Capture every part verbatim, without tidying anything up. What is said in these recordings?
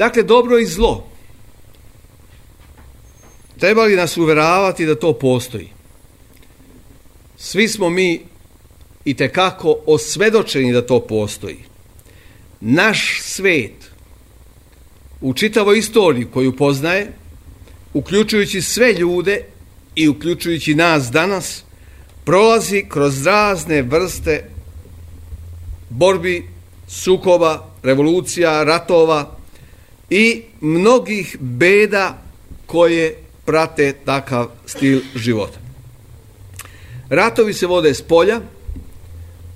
Dakle, dobro i zlo. Treba li nas uveravati da to postoji? Svi smo mi itekako osvedočeni da to postoji. Naš svet u čitavoj istoriji koju poznaje, uključujući sve ljude i uključujući nas danas, prolazi kroz razne vrste borbi, sukoba, revolucija, ratova i mnogih beda koje prate takav stil života. Ratovi se vode s polja,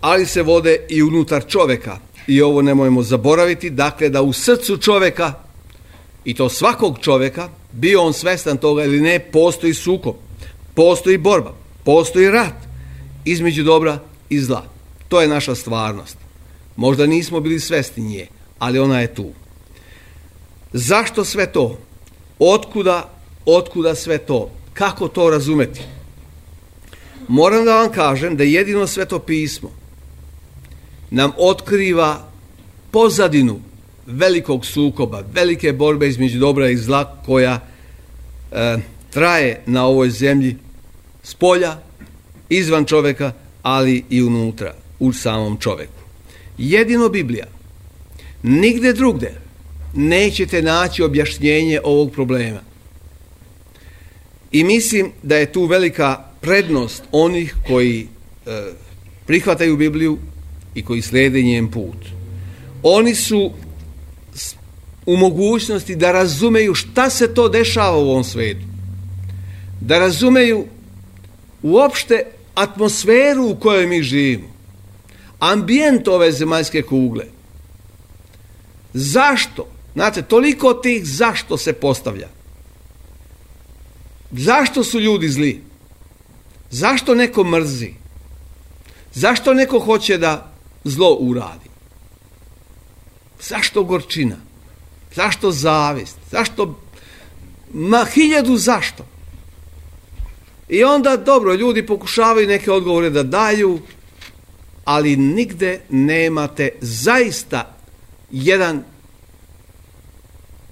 ali se vode i unutar čovjeka. I ovo nemojmo zaboraviti, dakle da u srcu čovjeka, i to svakog čovjeka, bio on svestan toga ili ne, postoji sukob, postoji borba, postoji rat između dobra i zla. To je naša stvarnost. Možda nismo bili svesni nje, ali ona je tu. Zašto sve to? Otkuda, otkuda sve to? Kako to razumeti? Moram da vam kažem da jedino Sveto pismo nam otkriva pozadinu velikog sukoba, velike borbe između dobra i zla koja e, traje na ovoj zemlji s polja, izvan čovjeka, ali i unutra, u samom čovjeku. Jedino Biblija, nigde drugde nećete naći objašnjenje ovog problema. I mislim da je tu velika prednost onih koji e, prihvataju Bibliju i koji slijede njen put. Oni su u mogućnosti da razumeju šta se to dešava u ovom svijetu. Da razumeju uopšte atmosferu u kojoj mi živimo. Ambijent ove zemaljske kugle. Zašto? Znate, toliko tih zašto se postavlja. Zašto su ljudi zli? Zašto neko mrzi? Zašto neko hoće da zlo uradi? Zašto gorčina? Zašto zavist? Zašto? Ma hiljadu zašto. I onda, dobro, ljudi pokušavaju neke odgovore da daju, ali nigde nemate zaista jedan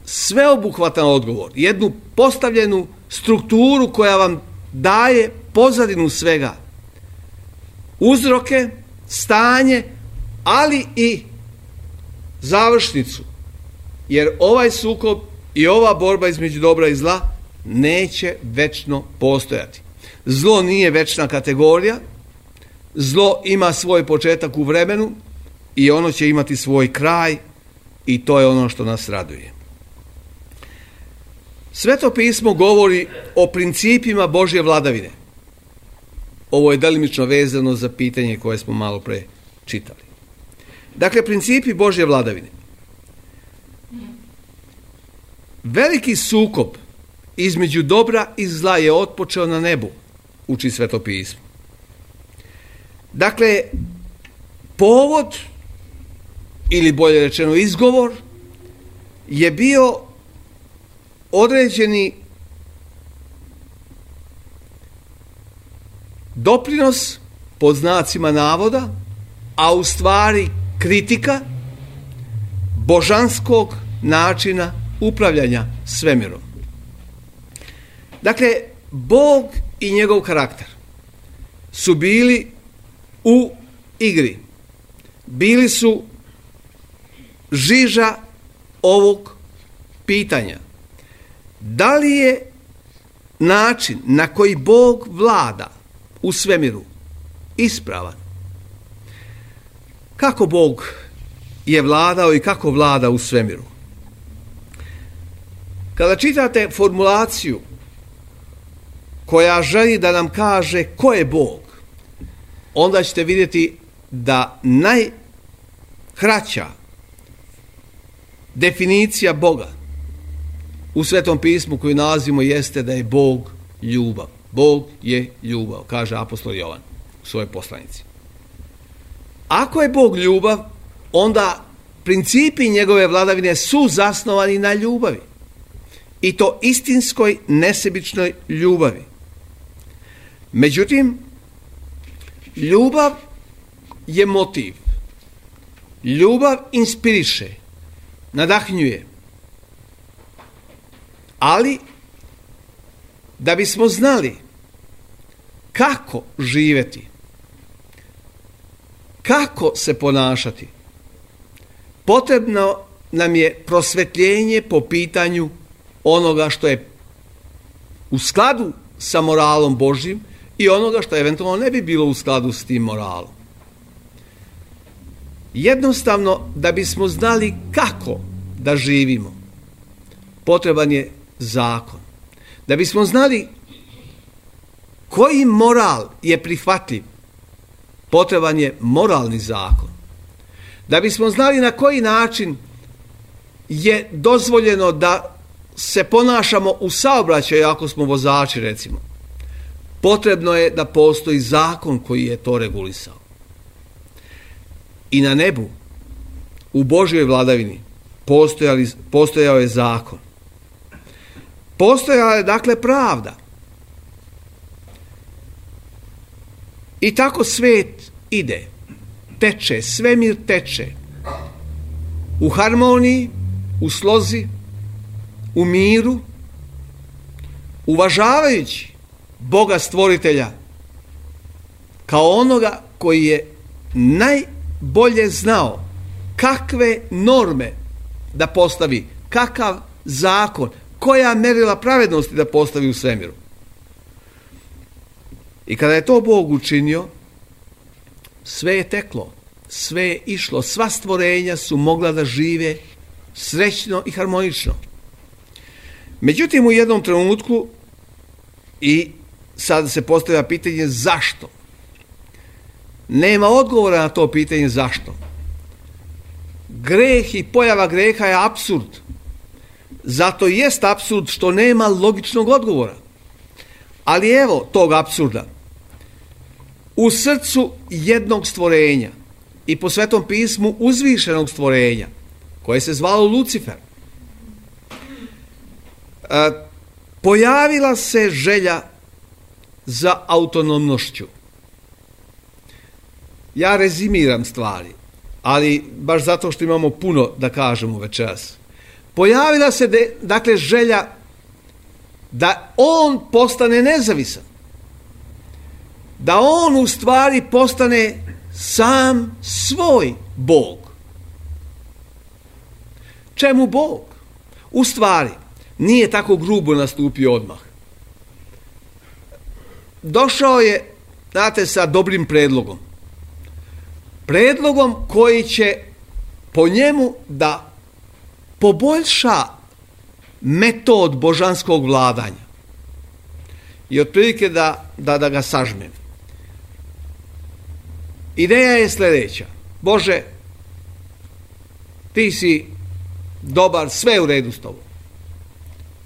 sveobuhvatan odgovor, jednu postavljenu strukturu koja vam daje pozadinu svega, uzroke, stanje, ali i završnicu. Jer ovaj sukob i ova borba između dobra i zla neće večno postojati. Zlo nije večna kategorija, zlo ima svoj početak u vremenu i ono će imati svoj kraj i to je ono što nas raduje. Sveto pismo govori o principima Božje vladavine. Ovo je delimično vezano za pitanje koje smo malo pre čitali. Dakle, principi Božje vladavine. Veliki sukob između dobra i zla je otpočeo na nebu, uči Sveto pismo. Dakle, povod, ili bolje rečeno izgovor, je bio određeni doprinos, pod znacima navoda, a u stvari kritika božanskog načina upravljanja svemirom. Dakle, Bog i njegov karakter su bili u igri. Bili su žiža ovog pitanja. Da li je način na koji Bog vlada u svemiru ispravan? Kako Bog je vladao i kako vlada u svemiru? Kada čitate formulaciju koja želi da nam kaže ko je Bog, onda ćete vidjeti da najkraća definicija Boga u Svetom pismu koju nalazimo jeste da je Bog ljubav. Bog je ljubav, kaže apostol Jovan u svojoj poslanici. Ako je Bog ljubav, onda principi njegove vladavine su zasnovani na ljubavi. I to istinskoj, nesebičnoj ljubavi. Međutim, ljubav je motiv. Ljubav inspiriše, nadahnjuje, Ali, da bismo znali kako živjeti, kako se ponašati, potrebno nam je prosvetljenje po pitanju onoga što je u skladu sa moralom Božjim i onoga što eventualno ne bi bilo u skladu s tim moralom. Jednostavno, da bismo znali kako da živimo, potreban je zakon. Da bismo znali koji moral je prihvatljiv, potreban je moralni zakon. Da bismo znali na koji način je dozvoljeno da se ponašamo u saobraćaju ako smo vozači, recimo, potrebno je da postoji zakon koji je to regulisao. I na nebu, u Božjoj vladavini, postojao je zakon. Postojala je, dakle, pravda. I tako svijet ide, teče, svemir teče u harmoniji, u slozi, u miru, uvažavajući Boga stvoritelja kao onoga koji je najbolje znao kakve norme da postavi, kakav zakon, koja merila pravednosti da postavi u svemiru. I kada je to Bog učinio, sve je teklo, sve je išlo, sva stvorenja su mogla da žive srećno i harmonično. Međutim, u jednom trenutku, i sad se postavlja pitanje zašto, nema odgovora na to pitanje zašto. Greh i pojava greha je apsurd. Zato jest apsurd što nema logičnog odgovora. Ali evo tog apsurda. U srcu jednog stvorenja i po Svetom pismu uzvišenog stvorenja, koje se zvalo Lucifer, pojavila se želja za autonomnošću. Ja rezimiram stvari, ali baš zato što imamo puno da kažemo večeras. Pojavila se, de, dakle, želja da on postane nezavisan. Da on u stvari postane sam svoj Bog. Čemu Bog? U stvari, nije tako grubo nastupio odmah. Došao je, znate, sa dobrim predlogom. Predlogom koji će po njemu da poboljša metod božanskog vladanja. I otprilike da, da, da ga sažmem. Ideja je sljedeća. Bože, ti si dobar, sve u redu s tobom.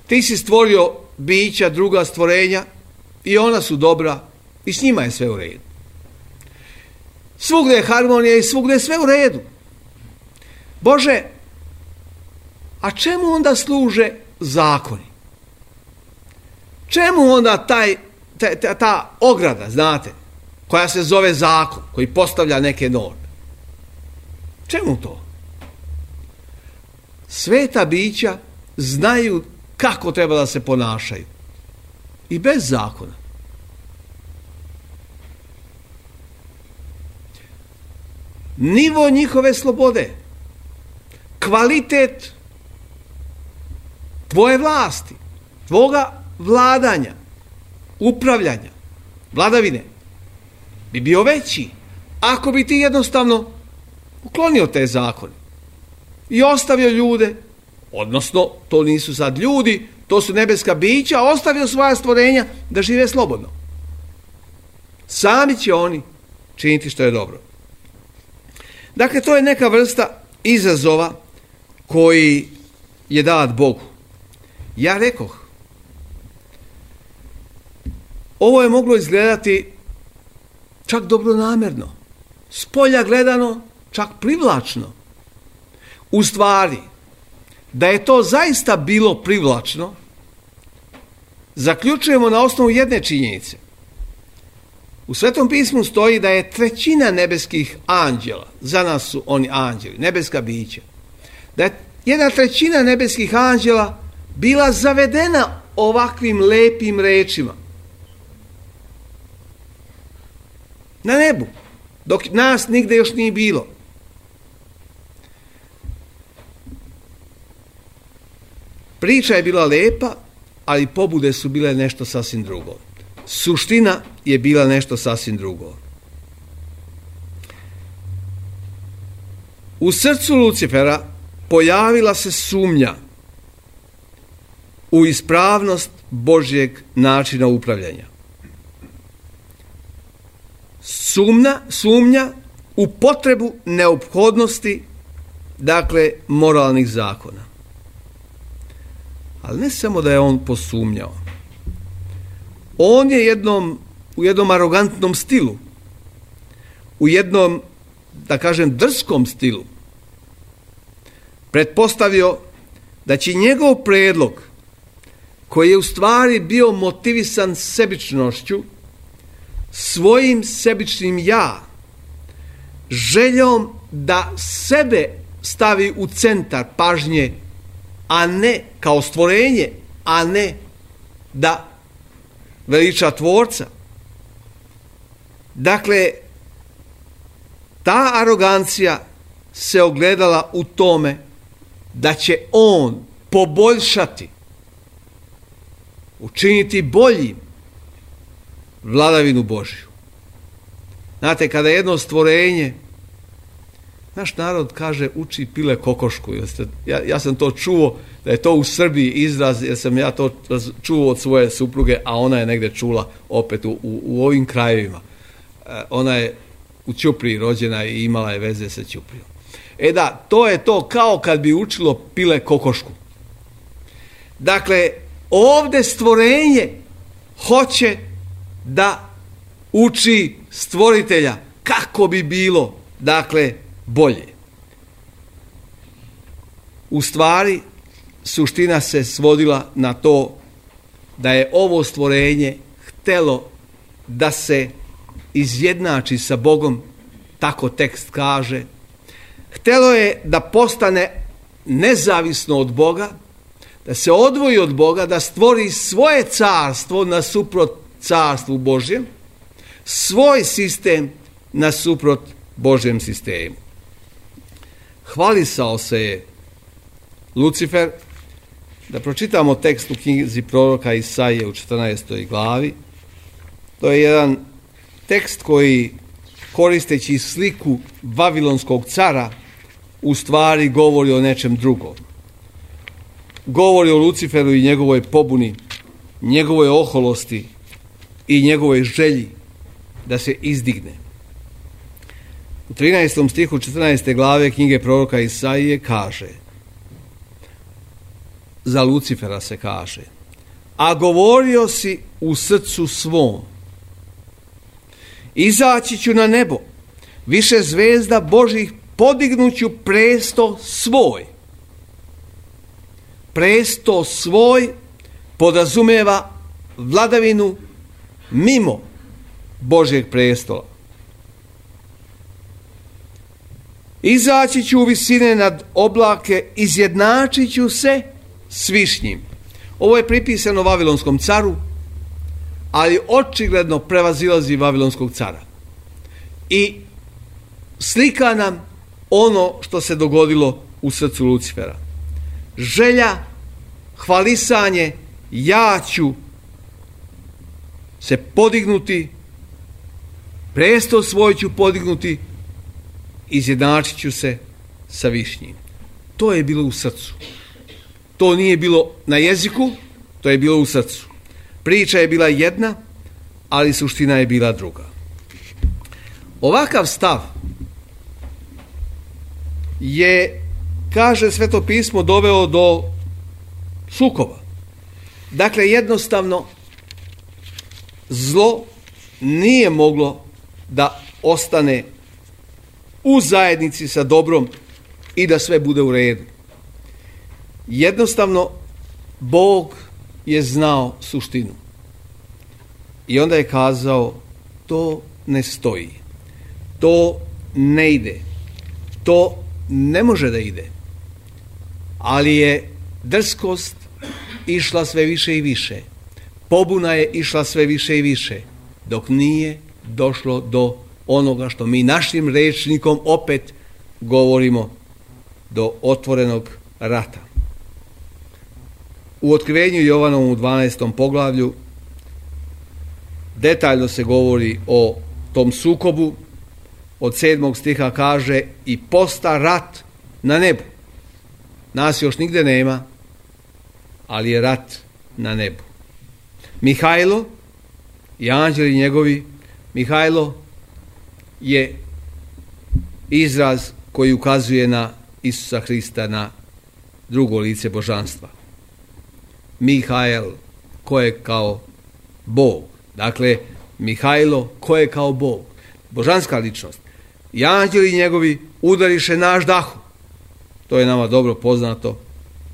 Ti si stvorio bića, druga stvorenja i ona su dobra i s njima je sve u redu. Svugdje je harmonija i svugdje je sve u redu. Bože, a čemu onda služe zakoni? Čemu onda taj, ta, ta, ta ograda, znate, koja se zove zakon, koji postavlja neke norme? Čemu to? Sveta bića znaju kako treba da se ponašaju. I bez zakona. Nivo njihove slobode, kvalitet tvoje vlasti, tvoga vladanja, upravljanja, vladavine, bi bio veći ako bi ti jednostavno uklonio te zakone i ostavio ljude, odnosno to nisu sad ljudi, to su nebeska bića, ostavio svoja stvorenja da žive slobodno. Sami će oni činiti što je dobro. Dakle, to je neka vrsta izazova koji je dat Bogu. Ja rekoh, ovo je moglo izgledati čak dobronamjerno, s polja gledano čak privlačno. U stvari, da je to zaista bilo privlačno, zaključujemo na osnovu jedne činjenice. U Svetom pismu stoji da je trećina nebeskih anđela, za nas su oni anđeli, nebeska bića, da je jedna trećina nebeskih anđela bila zavedena ovakvim lepim rečima. Na nebu, dok nas nigde još nije bilo. Priča je bila lepa, ali pobude su bile nešto sasvim drugo. Suština je bila nešto sasvim drugo. U srcu Lucifera pojavila se sumnja u ispravnost Božjeg načina upravljanja. Sumnja, sumnja u potrebu neophodnosti, dakle, moralnih zakona. Ali ne samo da je on posumnjao. On je jednom, u jednom arogantnom stilu, u jednom, da kažem, drskom stilu, pretpostavio da će njegov predlog, koji je u stvari bio motivisan sebičnošću, svojim sebičnim ja, željom da sebe stavi u centar pažnje, a ne kao stvorenje, a ne da veliča tvorca. Dakle, ta arogancija se ogledala u tome da će on poboljšati, učiniti boljim vladavinu Božju. Znate, kada jedno stvorenje, naš narod kaže uči pile kokošku. Ja, ja sam to čuo, da je to u Srbiji izraz, jer sam ja to čuo od svoje supruge, a ona je negdje čula opet u, u, u ovim krajevima. E, ona je u Ćupriji rođena i imala je veze sa Ćuprijom. E da, to je to kao kad bi učilo pile kokošku. Dakle, ovdje stvorenje hoće da uči stvoritelja kako bi bilo, dakle, bolje. U stvari, suština se svodila na to da je ovo stvorenje htelo da se izjednači sa Bogom, tako tekst kaže. Htelo je da postane nezavisno od Boga, da se odvoji od Boga, da stvori svoje carstvo nasuprot carstvu Božjem, svoj sistem nasuprot Božjem sistemu. Hvalisao se je Lucifer. Da pročitamo tekst u knjizi proroka Isaije u četrnaestoj glavi. To je jedan tekst koji, koristeći sliku Vavilonskog cara, u stvari govori o nečem drugom. Govori o Luciferu i njegovoj pobuni, njegovoj oholosti i njegovoj želji da se izdigne. U trinaestom stihu četrnaeste glave knjige proroka Isaije kaže, za Lucifera se kaže, a govorio si u srcu svom, izaći ću na nebo, više zvezda Božih podignuću presto svoj. Presto svoj podrazumeva vladavinu mimo Božjeg prestola. Izaći ću u visine nad oblake, izjednačit ću se s višnjim. Ovo je pripisano Vavilonskom caru, ali očigledno prevazilazi Vavilonskog cara. I slika nam ono što se dogodilo u srcu Lucifera. Želja, hvalisanje, ja ću se podignuti, presto svoj ću podignuti, izjednačit ću se sa višnjim. To je bilo u srcu. To nije bilo na jeziku, to je bilo u srcu. Priča je bila jedna, ali suština je bila druga. Ovakav stav je, kaže Sveto pismo, doveo do sukoba. Dakle, jednostavno, zlo nije moglo da ostane u zajednici sa dobrom i da sve bude u redu. Jednostavno, Bog je znao suštinu. I onda je kazao, to ne stoji. To ne ide. To ne može da ide. Ali je drskost išla sve više i više. Pobuna je išla sve više i više, dok nije došlo do onoga što mi našim rečnikom opet govorimo, do otvorenog rata. U Otkrivenju Jovanovom u dvanaestom poglavlju detaljno se govori o tom sukobu. Od sedmog stiha kaže: i posta rat na nebu. Nas još nigde nema, ali je rat na nebu. Mihajlo i anđeli njegovi. Mihajlo je izraz koji ukazuje na Isusa Hrista, na drugo lice božanstva. Mihael, ko je kao Bog. Dakle, Mihajlo, ko je kao Bog. Božanska ličnost. I anđeli njegovi udariše na aždahu. To je nama dobro poznato,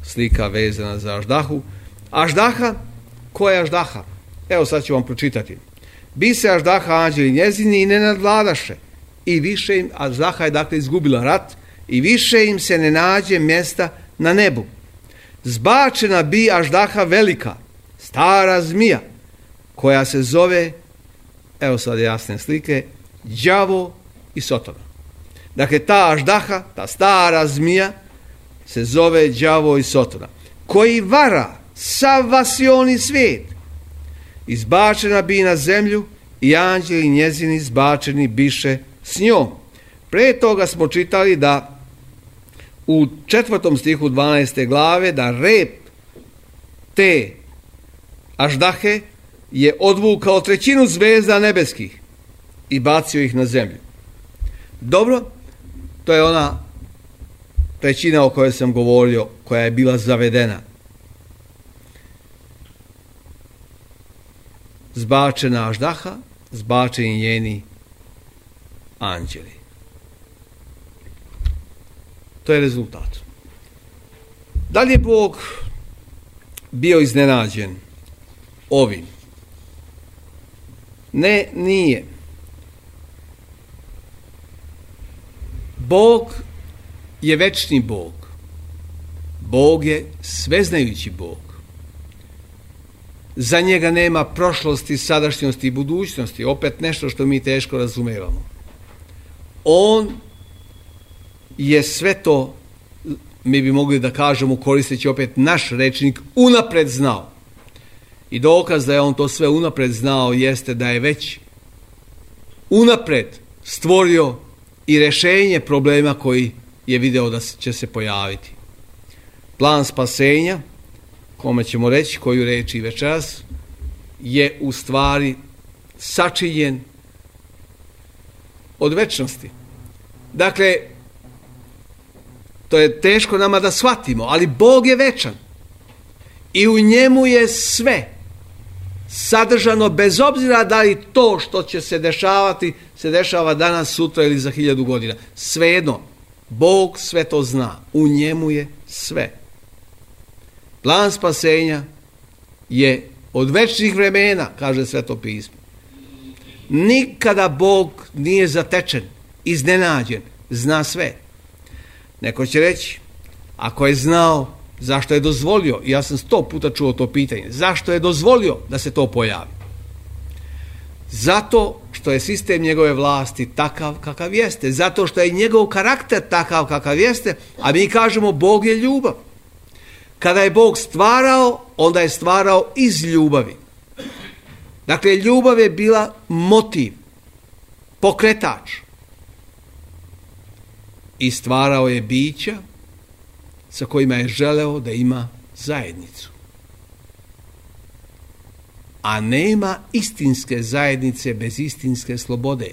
slika vezana za aždahu. Aždaha, ko je aždaha? Evo sad ću vam pročitati. Bi se aždaha anđeli njezini i ne nadvladaše. I više im, aždaha je dakle izgubila rat, i više im se ne nađe mjesta na nebu. Zbačena bi aždaha velika, stara zmija, koja se zove, evo sad jasne slike, đavo i sotona. Dakle, ta aždaha, ta stara zmija, se zove đavo i sotona, koji vara sav vasioni svijet. Izbačena bi na zemlju i anđeli njezini izbačeni biše s njom. Pre toga smo čitali da u četvrtom stihu dvanaeste glave da rep te aždahe je odvukao trećinu zvezda nebeskih i bacio ih na zemlju. Dobro, to je ona trećina o kojoj sam govorio, koja je bila zavedena. Zbačena aždaha, zbačeni njeni anđeli. To je rezultat. Da li je Bog bio iznenađen ovim? Ne, nije. Bog je večni Bog. Bog je sveznajući Bog. Za njega nema prošlosti, sadašnjosti i budućnosti. Opet nešto što mi teško razumevamo. On je sve to, mi bi mogli da kažemo, koristeći opet naš rečnik, unapred znao. I dokaz da je on to sve unapred znao jeste da je već unapred stvorio i rješenje problema koji je video da će se pojaviti. Plan spasenja, kome ćemo reći koju reći večeras, je u stvari sačinjen od večnosti. Dakle, to je teško nama da shvatimo, ali Bog je večan i u njemu je sve sadržano, bez obzira da li to što će se dešavati se dešava danas, sutra ili za hiljadu godina. Svejedno, Bog sve to zna, u njemu je sve. Plan spasenja je od večnih vremena, kaže Sveto pismo. Nikada Bog nije zatečen, iznenađen, zna sve. Neko će reći, ako je znao, zašto je dozvolio, i ja sam sto puta čuo to pitanje, zašto je dozvolio da se to pojavi? Zato što je sistem njegove vlasti takav kakav jeste, zato što je njegov karakter takav kakav jeste, a mi kažemo Bog je ljubav. Kada je Bog stvarao, onda je stvarao iz ljubavi. Dakle, ljubav je bila motiv, pokretač. I stvarao je bića sa kojima je želeo da ima zajednicu. A nema istinske zajednice bez istinske slobode.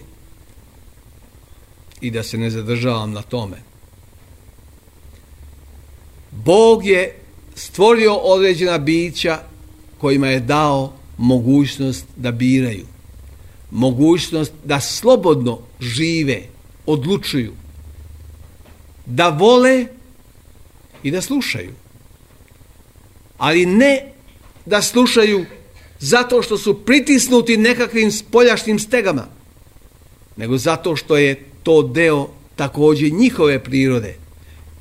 I da se ne zadržavam na tome. Bog je stvorio određena bića kojima je dao mogućnost da biraju. Mogućnost da slobodno žive, odlučuju. Da vole i da slušaju. Ali ne da slušaju zato što su pritisnuti nekakvim spoljašnjim stegama, nego zato što je to deo također njihove prirode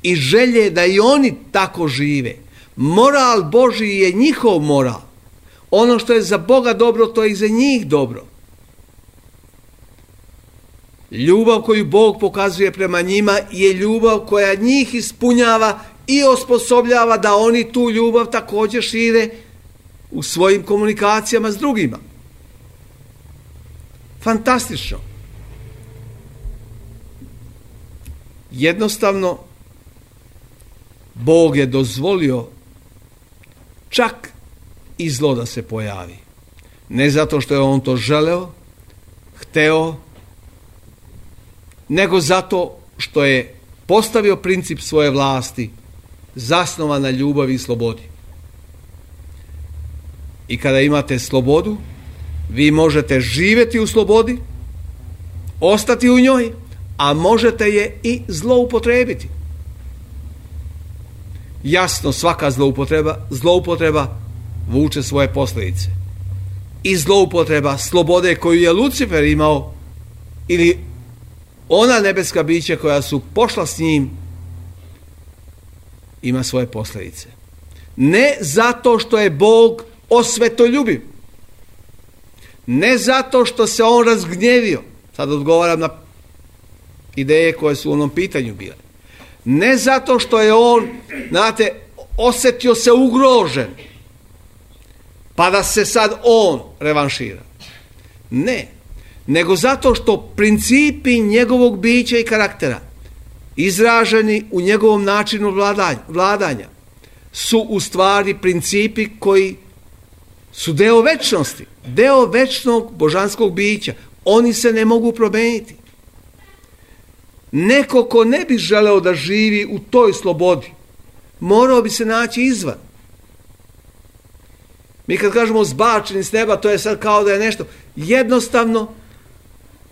i želje da i oni tako žive. Moral Božji je njihov moral. Ono što je za Boga dobro, to je i za njih dobro. Ljubav koju Bog pokazuje prema njima je ljubav koja njih ispunjava i osposobljava da oni tu ljubav također šire u svojim komunikacijama s drugima. Fantastično. Jednostavno, Bog je dozvolio čak i zlo da se pojavi. Ne zato što je on to želeo, hteo, nego zato što je postavio princip svoje vlasti zasnovan na ljubavi i slobodi. I kada imate slobodu, vi možete živjeti u slobodi, ostati u njoj, a možete je i zloupotrebiti. Jasno, svaka zloupotreba, zloupotreba vuče svoje posljedice. I zloupotreba slobode koju je Lucifer imao, ili ona nebeska bića koja su pošla s njim, ima svoje posljedice. Ne zato što je Bog osvetoljubiv, ne zato što se on razgnjevio, sad odgovaram na ideje koje su u onom pitanju bile, ne zato što je on, znate, osjetio se ugrožen, pa da se sad on revanšira. Ne, nego zato što principi njegovog bića i karaktera, izraženi u njegovom načinu vladanja, su u stvari principi koji su deo večnosti, deo večnog božanskog bića. Oni se ne mogu promijeniti. Neko ko ne bi želeo da živi u toj slobodi, morao bi se naći izvan. Mi kad kažemo zbačeni s neba, to je sad kao da je nešto. Jednostavno,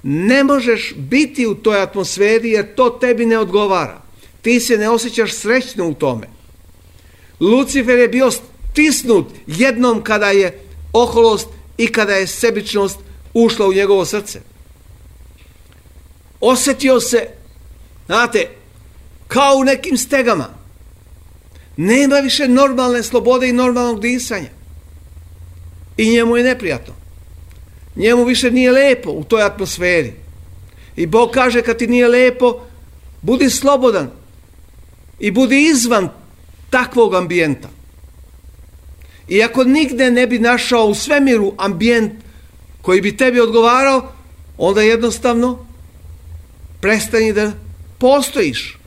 ne možeš biti u toj atmosferi jer to tebi ne odgovara. Ti se ne osjećaš srećno u tome. Lucifer je bio stisnut jednom kada je oholost i kada je sebičnost ušla u njegovo srce. Osjetio se, znate, kao u nekim stegama. Nema više normalne slobode i normalnog disanja. I njemu je neprijatno. Njemu više nije lepo u toj atmosferi. I Bog kaže, kad ti nije lepo, budi slobodan i budi izvan takvog ambijenta. I ako nigde ne bi našao u svemiru ambijent koji bi tebi odgovarao, onda jednostavno prestani da postojiš.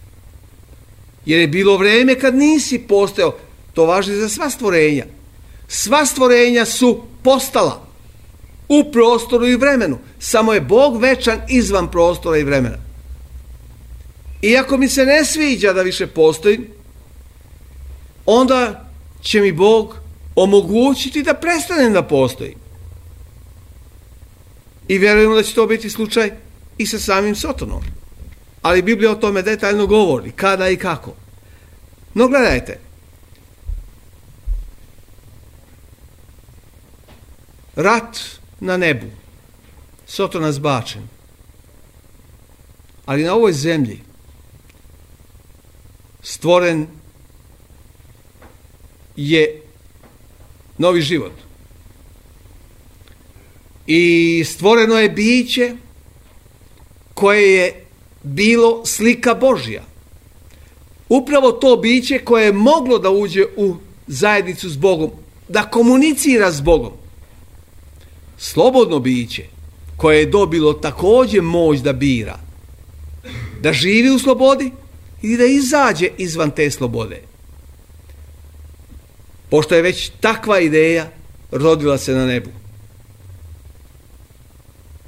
Jer je bilo vrijeme kad nisi postojao. To važi za sva stvorenja. Sva stvorenja su postala u prostoru i vremenu. Samo je Bog večan izvan prostora i vremena. Iako mi se ne sviđa da više postoji, onda će mi Bog omogućiti da prestanem da postoji. I vjerujemo da će to biti slučaj i sa samim Sotonom. Ali Biblija o tome detaljno govori, kada i kako. No gledajte, rat na nebu, Sotona zbačen, ali na ovoj zemlji stvoren je novi život. I stvoreno je biće koje je bilo slika Božja. Upravo to biće koje je moglo da uđe u zajednicu s Bogom, da komunicira s Bogom. Slobodno biće koje je dobilo također moć da bira, da živi u slobodi ili da izađe izvan te slobode. Pošto je već takva ideja rodila se na nebu.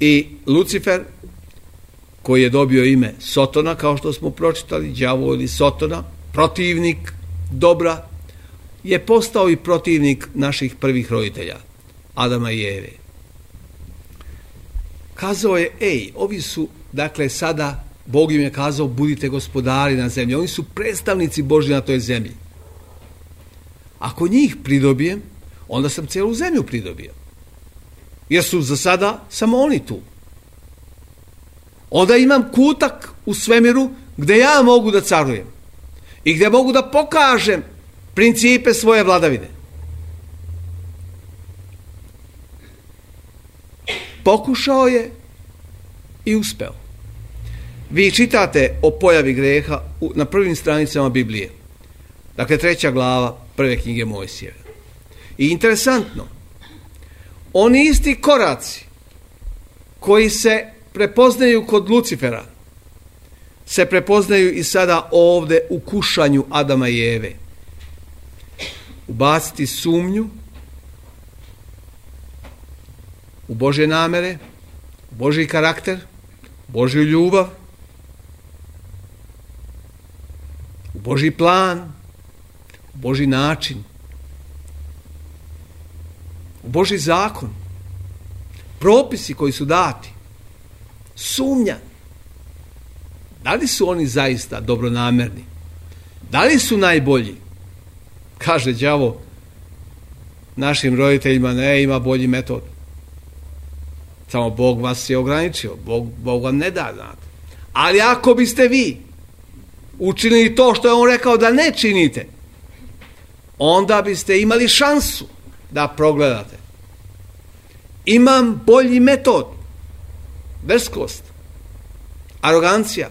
I Lucifer, koji je dobio ime Sotona, kao što smo pročitali, đavo ili Sotona, protivnik dobra, je postao i protivnik naših prvih roditelja, Adama i Eve. Kazao je, ej, ovi su, dakle, sada, Bog im je kazao, budite gospodari na zemlji. Oni su predstavnici Božji na toj zemlji. Ako njih pridobijem, onda sam cijelu zemlju pridobio. Jer su za sada samo oni tu. Onda imam kutak u svemiru gdje ja mogu da carujem. I gdje mogu da pokažem principe svoje vladavine. Pokušao je i uspeo. Vi čitate o pojavi greha na prvim stranicama Biblije. Dakle, treća glava prve knjige Mojsijeve. I interesantno, oni isti koraci koji se prepoznaju kod Lucifera se prepoznaju i sada ovdje u kušanju Adama i Eve. Ubaciti sumnju u Božje namere, u Božji karakter, u Božju ljubav, u Božji plan, u Božji način, u Božji zakon, propisi koji su dati, sumnja. Da li su oni zaista dobronamerni? Da li su najbolji? Kaže đavo našim roditeljima, ne, ima bolji metod. Samo Bog vas je ograničio. Bog, Bog vam ne da, znate. Ali ako biste vi učinili to što je on rekao da ne činite, onda biste imali šansu da progledate. Imam bolji metod. Drskost. Arogancija.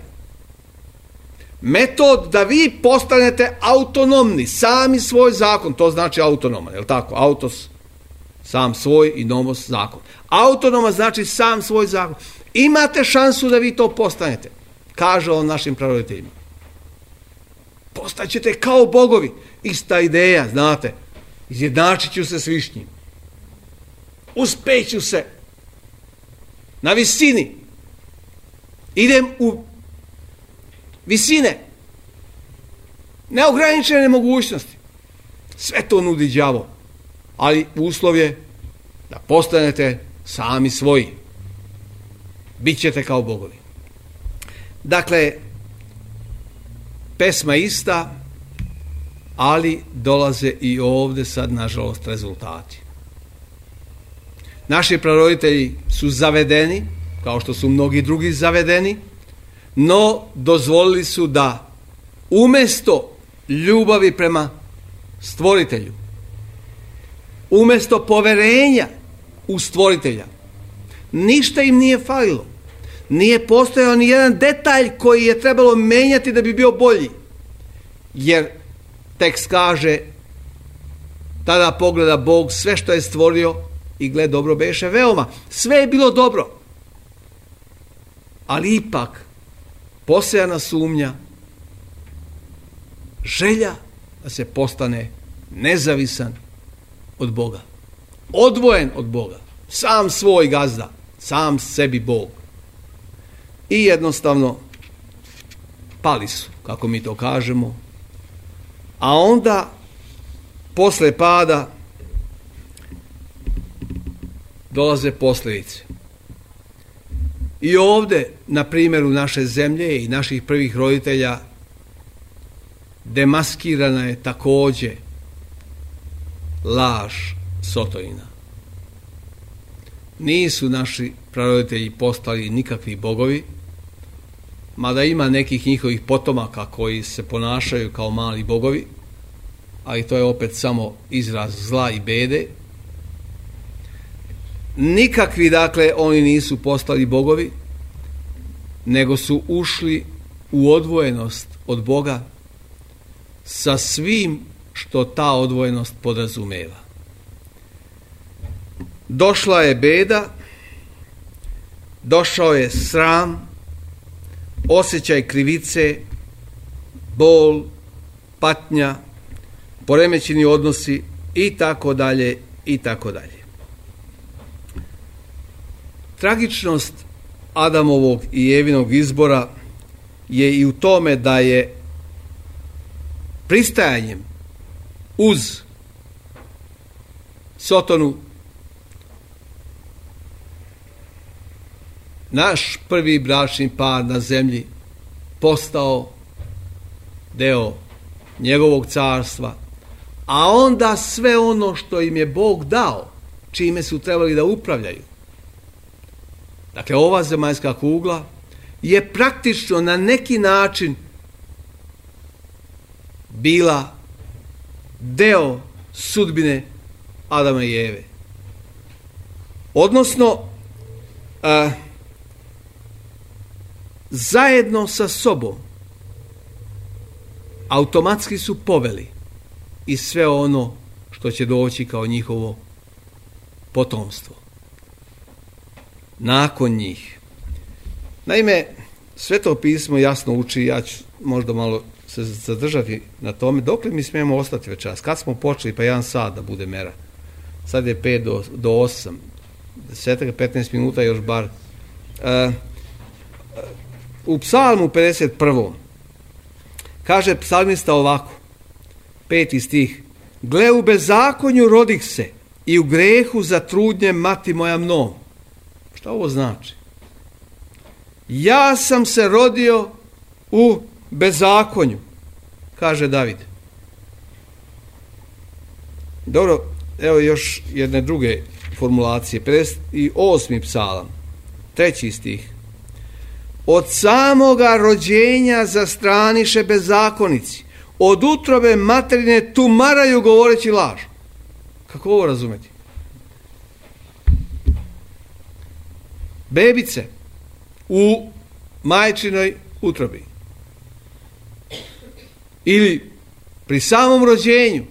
Metod da vi postanete autonomni, sami svoj zakon, to znači autonoman, je li tako? Autos, sam svoj i nomos zakon. Autonoma znači sam svoj zakon. Imate šansu da vi to postanete, kaže on našim praroditeljima. Postaćete kao bogovi. Ista ideja, znate, izjednačit ću se s višnjim. Uspeću se na visini. Idem u visine, neograničene mogućnosti. Sve to nudi đavo, ali uslov je da postanete sami svoji. Bićete kao bogovi. Dakle, pesma ista, ali dolaze i ovdje sad, nažalost, rezultati. Naši praroditelji su zavedeni, kao što su mnogi drugi zavedeni, no dozvolili su da umjesto ljubavi prema stvoritelju, umjesto poverenja u stvoritelja, ništa im nije falilo. Nije postojao ni jedan detalj koji je trebalo menjati da bi bio bolji. Jer tekst kaže, tada pogleda Bog sve što je stvorio i gle, dobro beše veoma. Sve je bilo dobro. Ali ipak posejana sumnja, želja da se postane nezavisan od Boga, odvojen od Boga, sam svoj gazda, sam sebi Bog. I jednostavno pali su, kako mi to kažemo, a onda posle pada dolaze posljedice. I ovdje, na primjeru naše zemlje i naših prvih roditelja, demaskirana je također laž Sotonina. Nisu naši praroditelji postali nikakvi bogovi, mada ima nekih njihovih potomaka koji se ponašaju kao mali bogovi, ali to je opet samo izraz zla i bede. Nikakvi, dakle, oni nisu postali bogovi, nego su ušli u odvojenost od Boga sa svim što ta odvojenost podrazumeva. Došla je beda, došao je sram, osjećaj krivice, bol, patnja, poremećeni odnosi i tako dalje i tako dalje. Tragičnost Adamovog i Evinog izbora je i u tome da je pristajanjem uz Sotonu naš prvi bračni par na zemlji postao deo njegovog carstva, a onda sve ono što im je Bog dao, čime su trebali da upravljaju. Dakle, ova zemaljska kugla je praktično na neki način bila deo sudbine Adama i Eve. Odnosno, a, zajedno sa sobom automatski su poveli i sve ono što će doći kao njihovo potomstvo nakon njih. Naime, Sveto pismo jasno uči, ja ću možda malo se zadržati na tome, dokle mi smijemo ostati večeras. Kad smo počeli, pa jedan sat da bude mera. Sad je pet do osam, deset, petnaest minuta još bar. Uh, u psalmu pedeset prvom kaže psalmista ovako, peti stih: gle, u bezakonju rodih se i u grehu zatrudnje mati moja mnom. Šta ovo znači? Ja sam se rodio u bezakonju, kaže David. Dobro, evo još jedne druge formulacije. pedeset osmi psalam, treći stih: od samoga rođenja zastraniše bezakonici, od utrobe materine tumaraju govoreći laž. Kako ovo razumeti? Bebice u majčinoj utrobi ili pri samom rođenju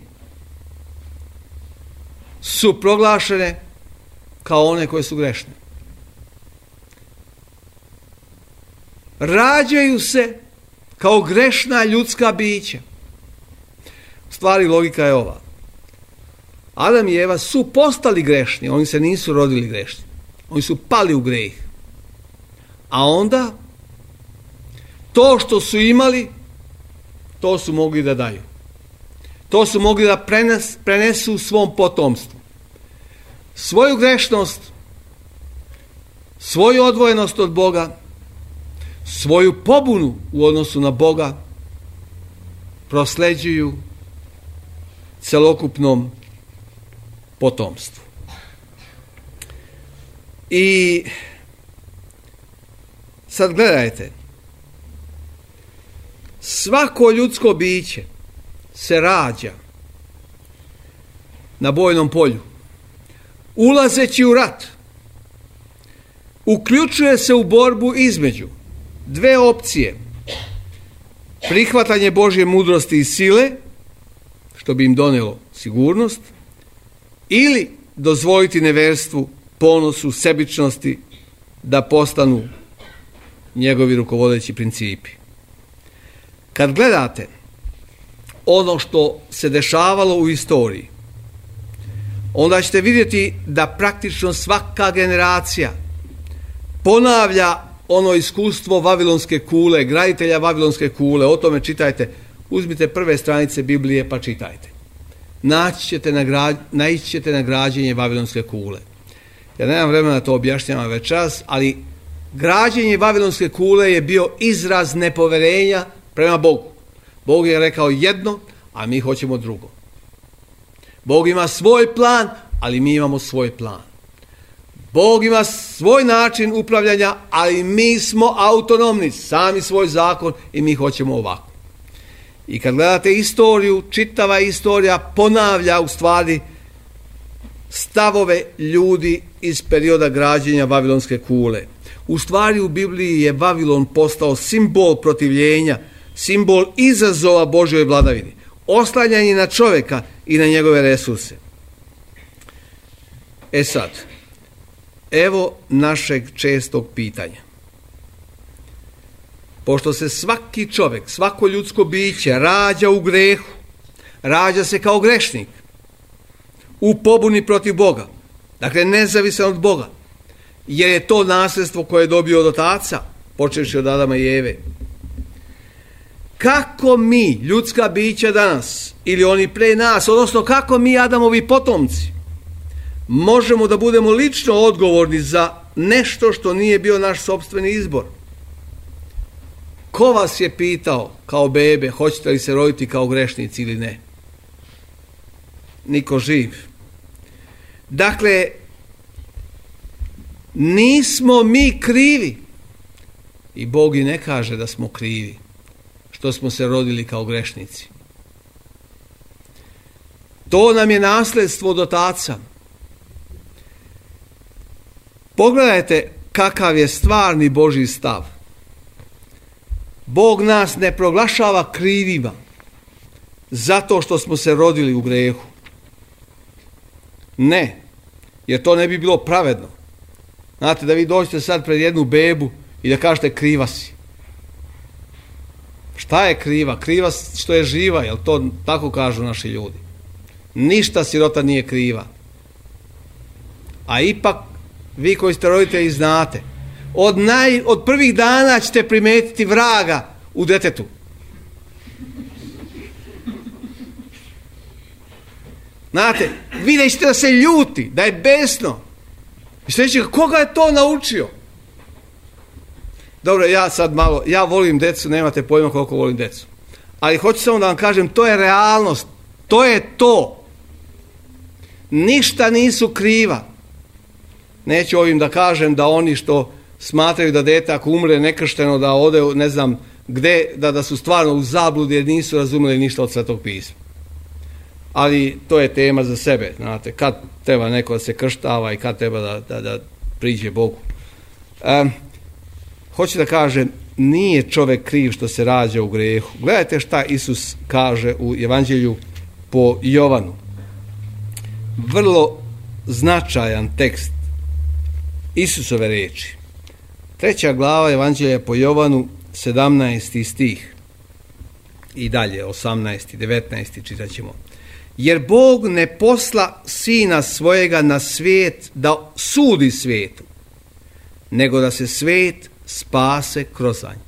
su proglašene kao one koje su grešne. Rađaju se kao grešna ljudska bića. U stvari logika je ova. Adam i Eva su postali grešni, oni se nisu rodili grešni. Oni su pali u greh. A onda to što su imali, to su mogli da daju. To su mogli da prenes, prenesu svom potomstvu. Svoju grešnost, svoju odvojenost od Boga, svoju pobunu u odnosu na Boga prosleđuju celokupnom potomstvu. I sad gledajte, svako ljudsko biće se rađa na bojnom polju, ulazeći u rat, uključuje se u borbu između dve opcije: prihvatanje Božje mudrosti i sile, što bi im donelo sigurnost, ili dozvoliti neverstvu, ponosu, sebičnosti da postanu njegovi rukovodeći principi. Kad gledate ono što se dešavalo u istoriji, onda ćete vidjeti da praktično svaka generacija ponavlja ono iskustvo Vavilonske kule, graditelja Vavilonske kule. O tome čitajte, uzmite prve stranice Biblije pa čitajte. Naći ćete na, gra, naići ćete na građenje Vavilonske kule. Ja nemam vremena da to objašnjavam večeras, ali građenje Vavilonske kule je bio izraz nepoverenja prema Bogu. Bog je rekao jedno, a mi hoćemo drugo. Bog ima svoj plan, ali mi imamo svoj plan. Bog ima svoj način upravljanja, ali mi smo autonomni, sami svoj zakon i mi hoćemo ovako. I kad gledate istoriju, čitava istorija ponavlja u stvari stavove ljudi iz perioda građenja Vavilonske kule. U stvari u Bibliji je Vavilon postao simbol protivljenja, simbol izazova Božjoj vladavini, oslanjanje na čovjeka i na njegove resurse. E sad, evo našeg čestog pitanja. Pošto se svaki čovjek, svako ljudsko biće rađa u grehu, rađa se kao grešnik, u pobuni protiv Boga, dakle nezavisan od Boga, jer je to nasljedstvo koje je dobio od otaca, počevši od Adama i Eve. Kako mi, ljudska bića danas, ili oni pre nas, odnosno kako mi, Adamovi potomci, možemo da budemo lično odgovorni za nešto što nije bio naš sopstveni izbor? Ko vas je pitao kao bebe, hoćete li se roditi kao grešnici ili ne? Niko živ. Dakle, nismo mi krivi. I Bog i ne kaže da smo krivi što smo se rodili kao grešnici. To nam je nasljedstvo od otaca. Pogledajte kakav je stvarni Božji stav. Bog nas ne proglašava krivima zato što smo se rodili u grehu. Ne, jer to ne bi bilo pravedno. Znate, da vi dođete sad pred jednu bebu i da kažete kriva si. Šta je kriva? Kriva što je živa, jel to tako kažu naši ljudi. Ništa sirota nije kriva. A ipak, vi koji ste roditelji znate, od, naj, od prvih dana ćete primetiti vraga u detetu. Znate, vidjet ćete da se ljuti, da je besno. I što reći, koga je to naučio? Dobro, ja sad malo, ja volim decu, nemate pojma koliko volim decu. Ali hoću samo da vam kažem, to je realnost. To je to. Ništa nisu kriva. Neću ovim da kažem da oni što smatraju da dete ako umre nekršteno da ode ne znam gde, da, da su stvarno u zabludi jer nisu razumeli ništa od Svetog pisma. Ali to je tema za sebe, znate, kad treba neko da se krštava i kad treba da, da, da priđe Bogu. Um, hoću da kažem, nije čovjek kriv što se rađa u grehu. Gledajte šta Isus kaže u Evanđelju po Jovanu. Vrlo značajan tekst Isusove riječi. Treća glava Evanđelja po Jovanu, sedamnaesti stih. I dalje, osamnaesti, devetnaesti čitat ćemo. Jer Bog ne posla sina svojega na svijet da sudi svijetu, nego da se svijet spase kroz nj.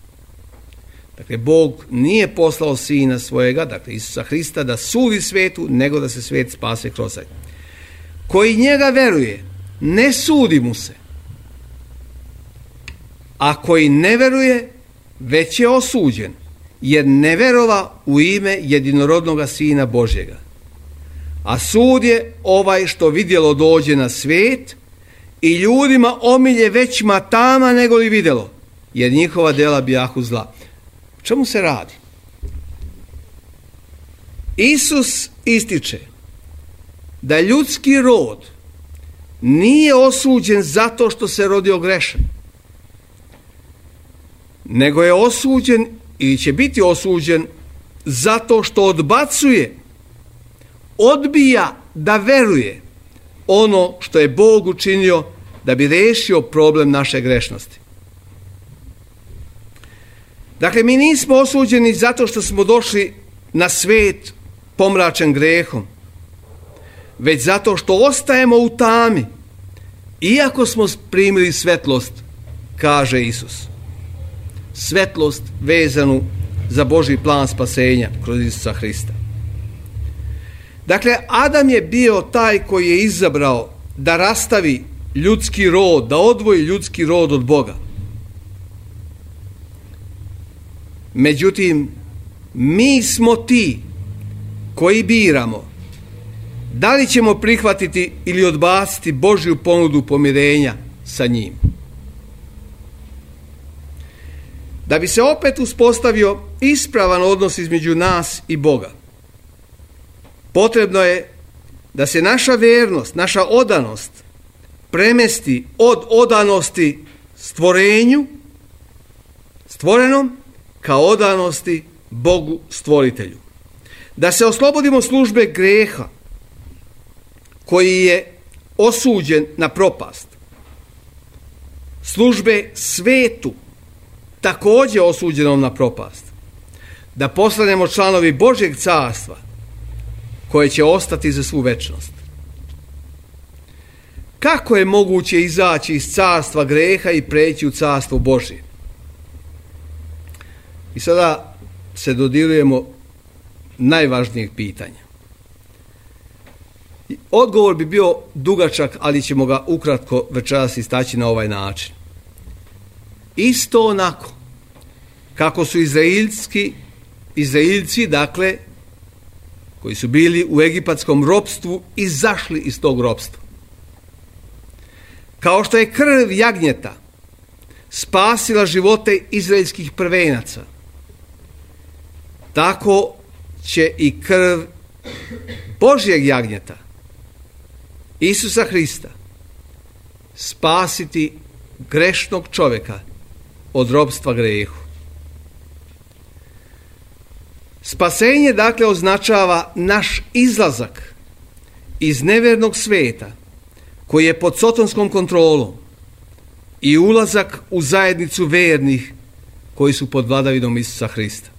Dakle, Bog nije poslao sina svojega, dakle Isusa Hrista, da sudi svijetu, nego da se svijet spase kroz nj. Koji njega veruje, ne sudi mu se. A koji ne veruje, već je osuđen, jer ne verova u ime jedinorodnoga Sina Božjega. A sud je ovaj što vidjelo dođe na svijet i ljudima omilje većma tama nego li vidjelo, jer njihova djela bijahu zla. O čemu se radi? Isus ističe da ljudski rod nije osuđen zato što se rodio grešan, nego je osuđen ili će biti osuđen zato što odbacuje, odbija da veruje ono što je Bog učinio da bi riješio problem naše grešnosti. Dakle, mi nismo osuđeni zato što smo došli na svijet pomračen grehom, već zato što ostajemo u tami, iako smo primili svetlost, kaže Isus. Svetlost vezanu za Božji plan spasenja kroz Isusa Hrista. Dakle, Adam je bio taj koji je izabrao da rastavi ljudski rod, da odvoji ljudski rod od Boga. Međutim, mi smo ti koji biramo da li ćemo prihvatiti ili odbaciti Božju ponudu pomirenja sa njim. Da bi se opet uspostavio ispravan odnos između nas i Boga, potrebno je da se naša vjernost, naša odanost premesti od odanosti stvorenju, stvorenom, ka odanosti Bogu stvoritelju. Da se oslobodimo službe greha koji je osuđen na propast. Službe svetu također osuđenom na propast. Da postanemo članovi Božjeg carstva koje će ostati za svu večnost. Kako je moguće izaći iz carstva greha i preći u carstvo Božje? I sada se dodirujemo najvažnijeg pitanja. Odgovor bi bio dugačak, ali ćemo ga ukratko večeras istaći na ovaj način. Isto onako kako su Izraelski, Izraelci, dakle, koji su bili u egipatskom ropstvu, izašli iz tog ropstva. Kao što je krv jagnjeta spasila živote izraelskih prvenaca, tako će i krv Božjeg jagnjeta, Isusa Hrista, spasiti grešnog čovjeka od ropstva grehu. Spasenje dakle označava naš izlazak iz nevjernog svijeta koji je pod sotonskom kontrolom i ulazak u zajednicu vernih koji su pod vladavinom Isusa Hrista.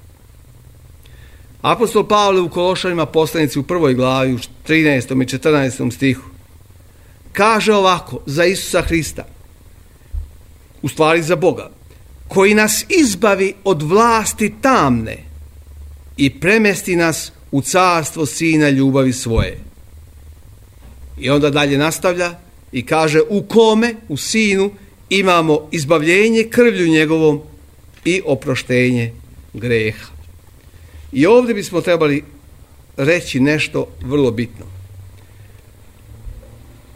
Apostol Pavle u Kološanima poslanici u prvoj glavi u trinaestom i četrnaestom stihu kaže ovako za Isusa Hrista, u stvari za Boga, koji nas izbavi od vlasti tamne i premesti nas u carstvo Sina ljubavi svoje. I onda dalje nastavlja i kaže u kome, u Sinu, imamo izbavljenje krvlju njegovom i oproštenje greha. I ovdje bismo trebali reći nešto vrlo bitno.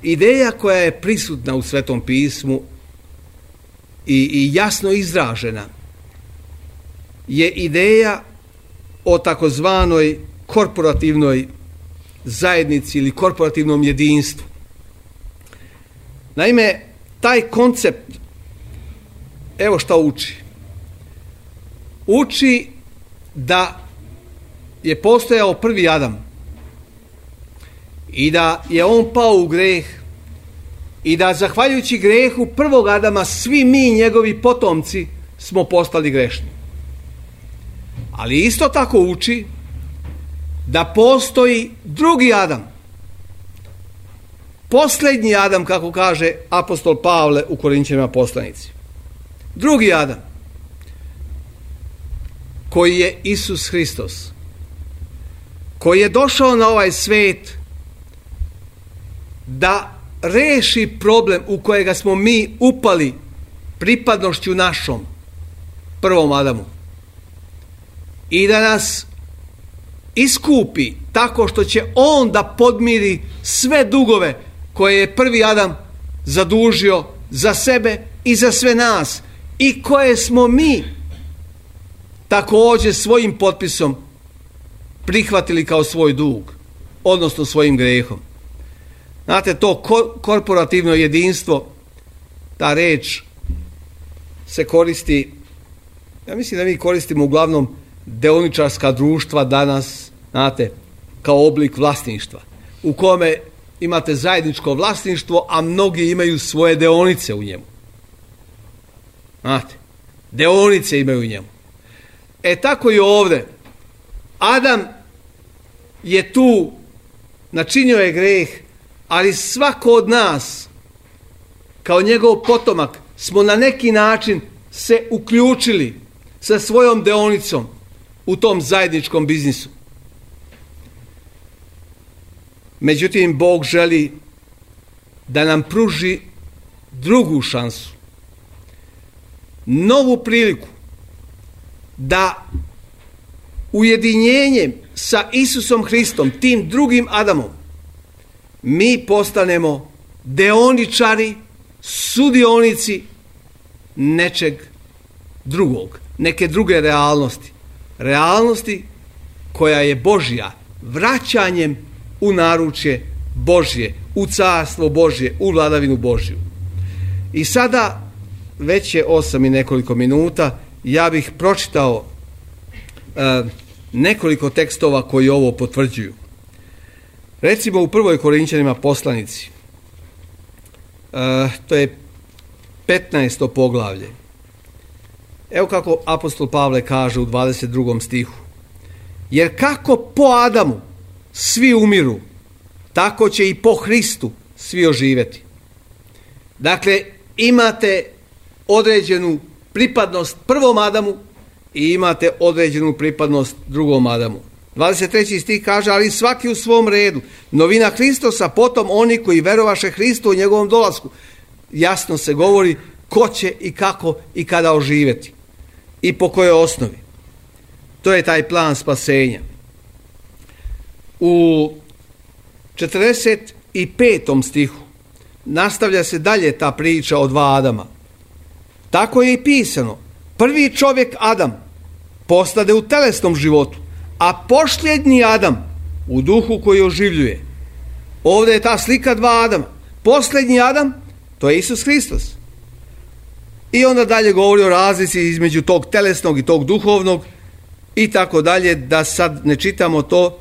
Ideja koja je prisutna u Svetom pismu i, i jasno izražena je ideja o takozvanoj korporativnoj zajednici ili korporativnom jedinstvu. Naime, taj koncept, evo šta uči. Uči da je postojao prvi Adam i da je on pao u greh i da zahvaljujući grehu prvog Adama svi mi, njegovi potomci, smo postali grešni. Ali isto tako uči da postoji drugi Adam, posljednji Adam, kako kaže apostol Pavle u Korinćanima poslanici. Drugi Adam, koji je Isus Hristos, koji je došao na ovaj svijet da reši problem u kojega smo mi upali pripadnošću našom prvom Adamu i da nas iskupi tako što će on da podmiri sve dugove koje je prvi Adam zadužio za sebe i za sve nas i koje smo mi također svojim potpisom prihvatili kao svoj dug, odnosno svojim grehom. Znate, to korporativno jedinstvo, ta reč se koristi, ja mislim da mi koristimo uglavnom deoničarska društva danas, znate, kao oblik vlasništva, u kome imate zajedničko vlasništvo, a mnogi imaju svoje deonice u njemu. Znate, deonice imaju u njemu. E tako i ovdje. Adam je tu, načinio je greh, ali svako od nas, kao njegov potomak, smo na neki način se uključili sa svojom deonicom u tom zajedničkom biznisu. Međutim, Bog želi da nam pruži drugu šansu, novu priliku da ujedinjenjem sa Isusom Hristom, tim drugim Adamom, mi postanemo deoničari, sudionici nečeg drugog, neke druge realnosti. Realnosti koja je Božja, vraćanjem u naručje Božje, u carstvo Božje, u vladavinu Božju. I sada, već je osam i nekoliko minuta, ja bih pročitao e, nekoliko tekstova koji ovo potvrđuju. Recimo u prvoj Korinćanima poslanici, e, to je petnaesto poglavlje. Evo kako apostol Pavle kaže u dvadeset drugom stihu. Jer kako po Adamu svi umiru, tako će i po Hristu svi oživjeti. Dakle, imate određenu pripadnost prvom Adamu i imate određenu pripadnost drugom Adamu. dvadeset treći stih kaže, ali svaki u svom redu. Novina Hristosa, potom oni koji verovaše Hristu u njegovom dolasku. Jasno se govori ko će i kako i kada oživjeti. I po kojoj osnovi. To je taj plan spasenja. U četrdeset petom stihu nastavlja se dalje ta priča o dva Adama. Tako je i pisano. Prvi čovjek Adam postade u telesnom životu, a posljednji Adam u duhu koji oživljuje. Ovdje je ta slika dva Adama. Posljednji Adam, to je Isus Hristos. I onda dalje govori o razlici između tog telesnog i tog duhovnog i tako dalje, da sad ne čitamo to.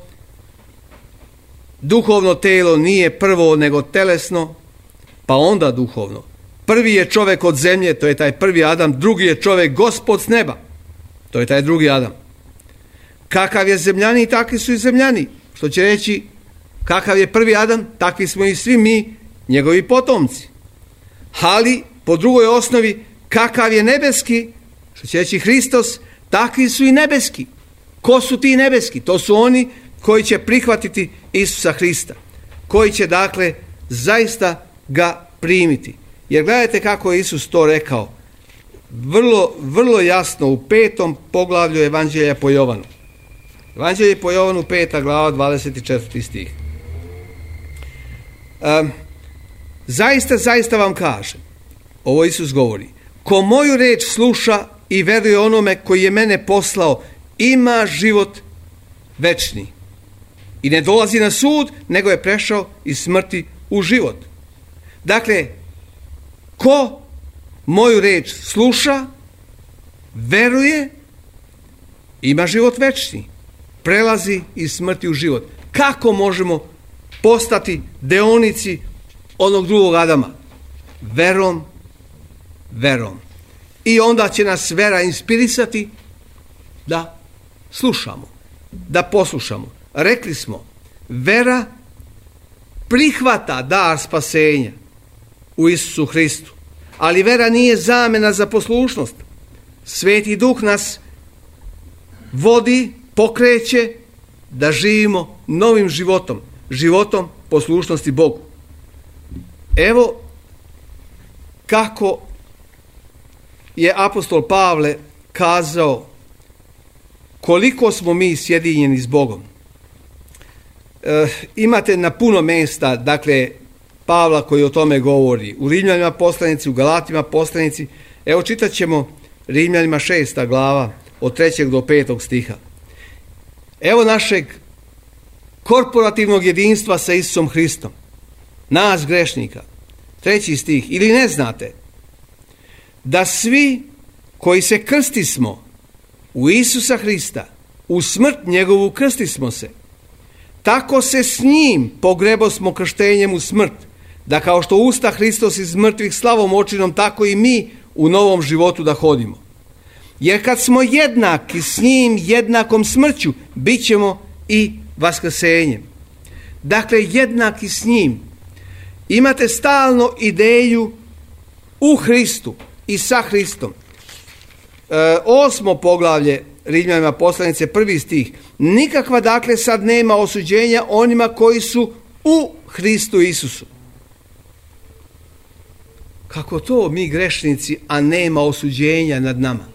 Duhovno telo nije prvo nego telesno, pa onda duhovno. Prvi je čovjek od zemlje, to je taj prvi Adam, drugi je čovjek Gospod s neba, to je taj drugi Adam. Kakav je zemljani, takvi su i zemljani. Što će reći, kakav je prvi Adam, takvi smo i svi mi, njegovi potomci. Ali, po drugoj osnovi, kakav je nebeski, što će reći Hristos, takvi su i nebeski. Ko su ti nebeski? To su oni koji će prihvatiti Isusa Hrista, koji će dakle zaista ga primiti. Jer gledajte kako je Isus to rekao, vrlo, vrlo jasno u petom poglavlju Evanđelja po Jovanu. Evanđelje po Jovanu, peta glava, dvadeset četvrti stih. Um, zaista, zaista vam kažem, ovo Isus govori, ko moju reč sluša i veruje onome koji je mene poslao, ima život večni. I ne dolazi na sud, nego je prešao iz smrti u život. Dakle, ko moju reč sluša, veruje, ima život večni. Prelazi iz smrti u život. Kako možemo postati deonici onog drugog Adama? Verom, verom. I onda će nas vera inspirisati da slušamo, da poslušamo. Rekli smo, vera prihvata dar spasenja u Isusu Hristu, ali vera nije zamjena za poslušnost. Sveti Duh nas vodi, pokreće da živimo novim životom, životom poslušnosti Bogu. Evo kako je apostol Pavle kazao koliko smo mi sjedinjeni s Bogom. E, imate na puno mjesta, dakle, Pavla koji o tome govori. U Rimljanima poslanici, u Galatima poslanici. Evo čitat ćemo Rimljanima šesta glava od trećeg do petog stiha. Evo našeg korporativnog jedinstva sa Isusom Hristom. Nas grešnika. Treći stih. Ili ne znate da svi koji se krstismo u Isusa Hrista, u smrt njegovu krstismo se, tako se s njim pogrebosmo krštenjem u smrt, da kao što usta Hristos iz mrtvih slavom očinom, tako i mi u novom životu da hodimo. Jer kad smo jednaki s njim jednakom smrću, bit ćemo i vaskrsenjem. Dakle, jednaki s njim. Imate stalno ideju u Hristu i sa Hristom. E, osmo poglavlje Rimljanima poslanice, prvi stih. Nikakva dakle sad nema osuđenja onima koji su u Hristu Isusu. Kako to mi grešnici, a nema osuđenja nad nama?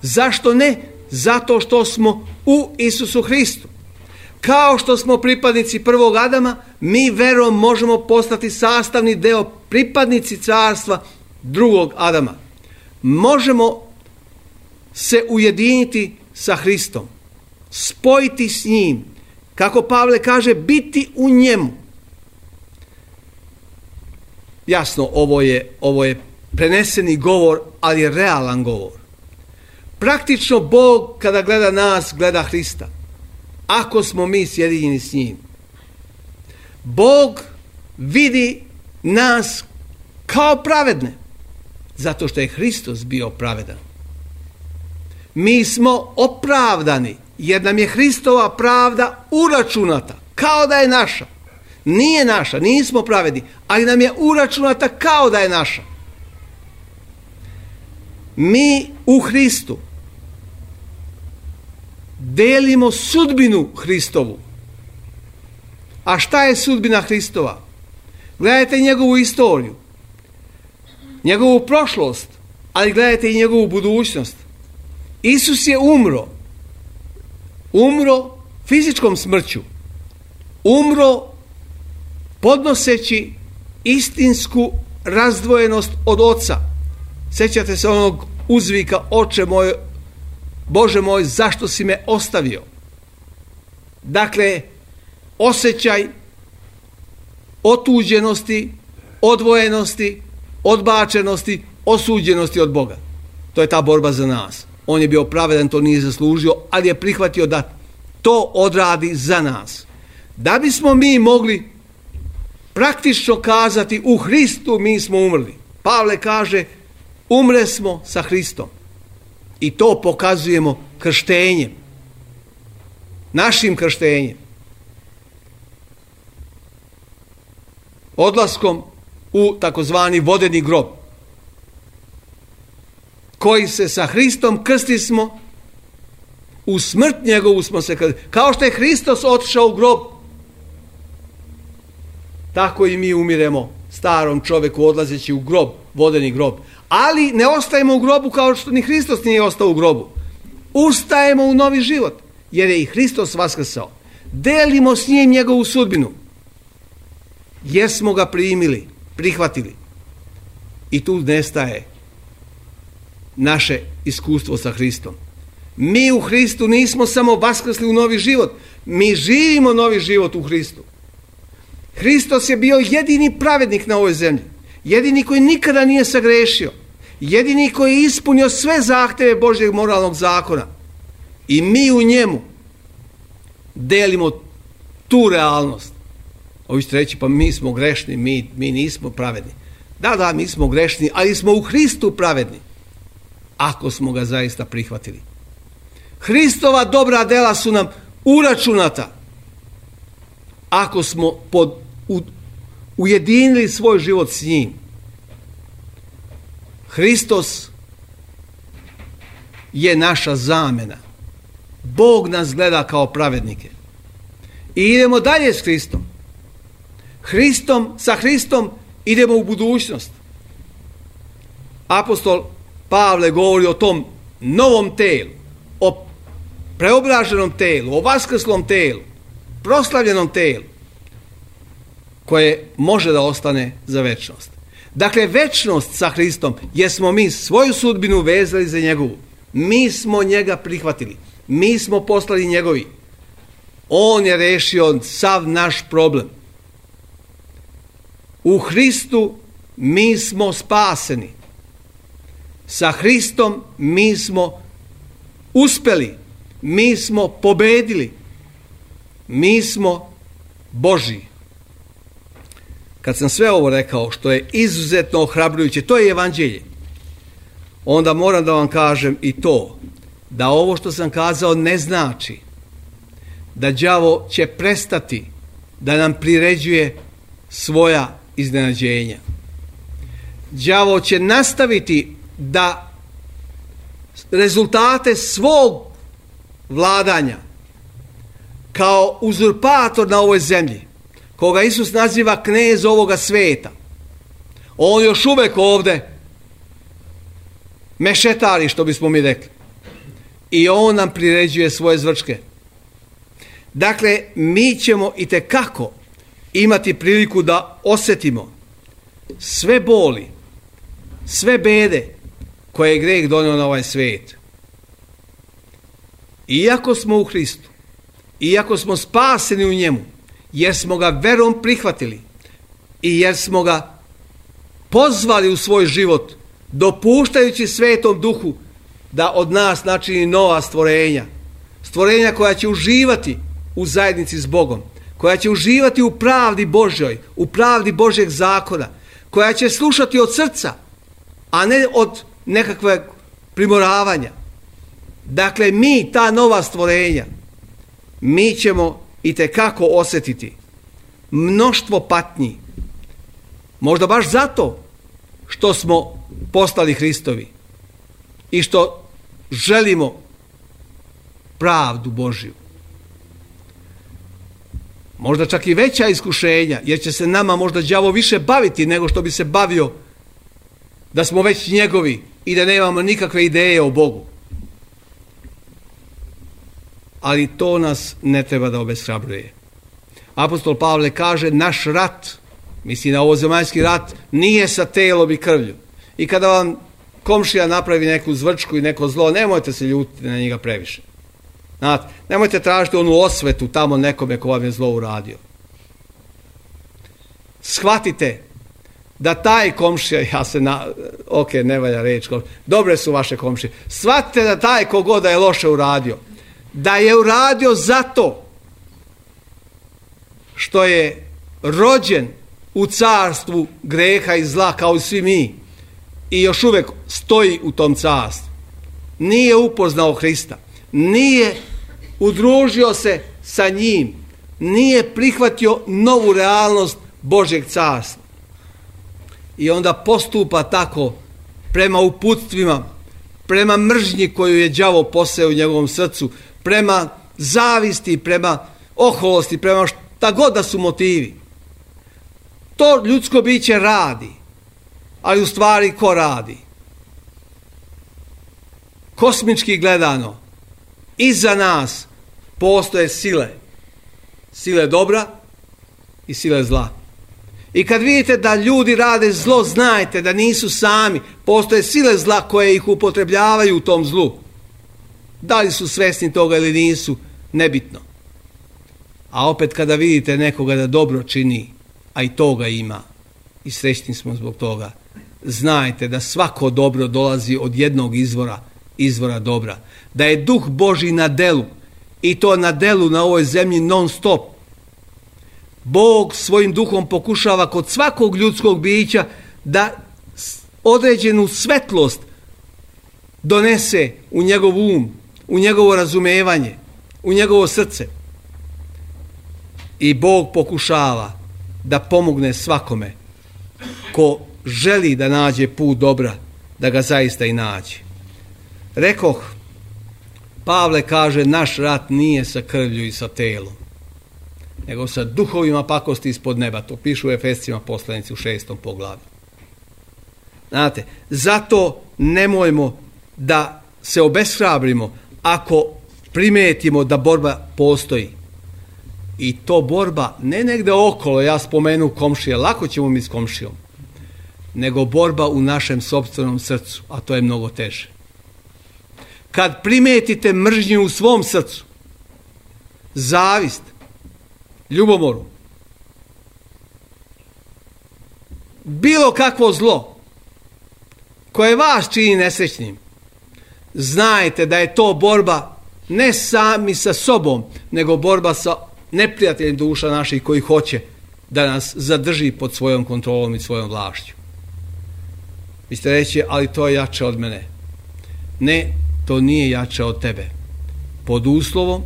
Zašto ne? Zato što smo u Isusu Hristu. Kao što smo pripadnici prvog Adama, mi verom možemo postati sastavni deo, pripadnici carstva drugog Adama. Možemo se ujediniti sa Hristom, spojiti s njim, kako Pavle kaže, biti u njemu. Jasno, ovo je, ovo je preneseni govor, ali je realan govor. Praktično Bog kada gleda nas, gleda Hrista. Ako smo mi sjedinjeni s njim. Bog vidi nas kao pravedne, zato što je Hristos bio pravedan. Mi smo opravdani, jer nam je Hristova pravda uračunata, kao da je naša. Nije naša, nismo pravedni, ali nam je uračunata kao da je naša. Mi u Hristu delimo sudbinu Hristovu. A šta je sudbina Hristova? Gledajte njegovu istoriju, njegovu prošlost, ali gledajte i njegovu budućnost. Isus je umro. Umro fizičkom smrću. Umro podnoseći istinsku razdvojenost od Oca. Sjećate se onog uzvika, Oče moj, Bože moj, zašto si me ostavio? Dakle, osjećaj otuđenosti, odvojenosti, odbačenosti, osuđenosti od Boga. To je ta borba za nas. On je bio pravedan, to nije zaslužio, ali je prihvatio da to odradi za nas. Da bismo mi mogli praktično kazati u Hristu mi smo umrli. Pavle kaže umre smo sa Hristom. I to pokazujemo krštenjem. Našim krštenjem. Odlaskom u takozvani vodeni grob. Koji se sa Hristom krsti smo, u smrt njegovu smo se krstili. Kao što je Hristos otišao u grob, tako i mi umiremo starom čovjeku odlazeći u grob, vodeni grob. Ali ne ostajemo u grobu kao što ni Hristos nije ostao u grobu. Ustajemo u novi život, jer je i Hristos vaskrsao. Delimo s njim njegovu sudbinu, jer smo ga primili, prihvatili. I tu nestaje naše iskustvo sa Hristom. Mi u Hristu nismo samo vaskrsli u novi život, mi živimo novi život u Hristu. Hristos je bio jedini pravednik na ovoj zemlji, jedini koji nikada nije sagrešio, jedini koji je ispunio sve zahtjeve Božjeg moralnog zakona. I mi u njemu delimo tu realnost. Ovi ćete reći, pa mi smo grešni, mi, mi nismo pravedni. Da, da, mi smo grešni, ali smo u Hristu pravedni, ako smo ga zaista prihvatili. Hristova dobra dela su nam uračunata, ako smo pod, u, ujedinili svoj život s njim. Hristos je naša zamjena. Bog nas gleda kao pravednike. I idemo dalje s Hristom. Hristom, sa Hristom idemo u budućnost. Apostol Pavle govori o tom novom telu, o preobraženom telu, o vaskrslom telu, proslavljenom telu, koje može da ostane za večnost. Dakle, večnost sa Hristom, jer smo mi svoju sudbinu vezali za njegovu. Mi smo njega prihvatili. Mi smo postali njegovi. On je rešio sav naš problem. U Hristu mi smo spaseni. Sa Hristom mi smo uspeli. Mi smo pobedili. Mi smo Božji. Kad sam sve ovo rekao, što je izuzetno ohrabrujuće, to je evanđelje, onda moram da vam kažem i to, da ovo što sam kazao ne znači da đavo će prestati da nam priređuje svoja iznenađenja. Đavo će nastaviti da rezultate svog vladanja kao uzurpator na ovoj zemlji, koga Isus naziva knez ovoga sveta, on još uvek ovde mešetari, što bismo mi rekli, i on nam priređuje svoje zvrčke. Dakle, mi ćemo itekako imati priliku da osjetimo sve boli, sve bede koje je greh donio na ovaj svijet. Iako smo u Hristu, iako smo spaseni u njemu, jer smo ga verom prihvatili i jer smo ga pozvali u svoj život, dopuštajući Svetom Duhu da od nas načini nova stvorenja, stvorenja koja će uživati u zajednici s Bogom, koja će uživati u pravdi Božjoj, u pravdi Božjeg zakona, koja će slušati od srca, a ne od nekakve primoravanja. Dakle, mi, ta nova stvorenja, mi ćemo itekako osjetiti mnoštvo patnji. Možda baš zato što smo postali Hristovi i što želimo pravdu Božju. Možda čak i veća iskušenja, jer će se nama možda đavo više baviti nego što bi se bavio da smo već njegovi i da nemamo nikakve ideje o Bogu. Ali to nas ne treba da obeshrabruje. Apostol Pavle kaže, naš rat, misli na ovozemaljski rat, nije sa telom i krvlju. I kada vam komšija napravi neku zvrčku i neko zlo, nemojte se ljutiti na njega previše. Znate, nemojte tražiti onu osvetu tamo nekome ko vam je zlo uradio. Shvatite da taj komšija, ja se na, ok, ne valja reći, dobre su vaše komšije, shvatite da taj kogoda je loše uradio, da je uradio zato što je rođen u carstvu greha i zla kao i svi mi i još uvijek stoji u tom carstvu. Nije upoznao Hrista, nije udružio se sa njim, nije prihvatio novu realnost Božjeg carstva. I onda postupa tako prema uputstvima, prema mržnji koju je đavo poseo u njegovom srcu, prema zavisti, prema oholosti, prema šta god da su motivi. To ljudsko biće radi, ali u stvari ko radi? Kosmički gledano, iza nas postoje sile. Sile dobra i sile zla. I kad vidite da ljudi rade zlo, znajte da nisu sami. Postoje sile zla koje ih upotrebljavaju u tom zlu. Da li su svjesni toga ili nisu, nebitno. A opet kada vidite nekoga da dobro čini, a i toga ima, i srećni smo zbog toga, znajte da svako dobro dolazi od jednog izvora, izvora dobra. Da je duh Božji na delu, i to na delu na ovoj zemlji non stop. Bog svojim duhom pokušava kod svakog ljudskog bića da određenu svetlost donese u njegov um, u njegovo razumevanje, u njegovo srce. I Bog pokušava da pomogne svakome ko želi da nađe put dobra, da ga zaista i nađe. Rekoh, Pavle kaže, naš rat nije sa krvlju i sa telom, nego sa duhovima pakosti ispod neba. To pišu u Efescima poslanici u šestom poglavlju. Znate, zato nemojmo da se obeshrabrimo ako primetimo da borba postoji. I to borba ne negde okolo, ja spomenu komšije, lako ćemo mi s komšijom, nego borba u našem sopstvenom srcu, a to je mnogo teže. Kad primetite mržnju u svom srcu, zavist, ljubomoru, bilo kakvo zlo koje vas čini nesrećnim, znajte da je to borba ne sami sa sobom, nego borba sa neprijateljem duša naših koji hoće da nas zadrži pod svojom kontrolom i svojom vlašću. Vi ste reći, ali to je jače od mene. Ne, to nije jače od tebe. Pod uslovom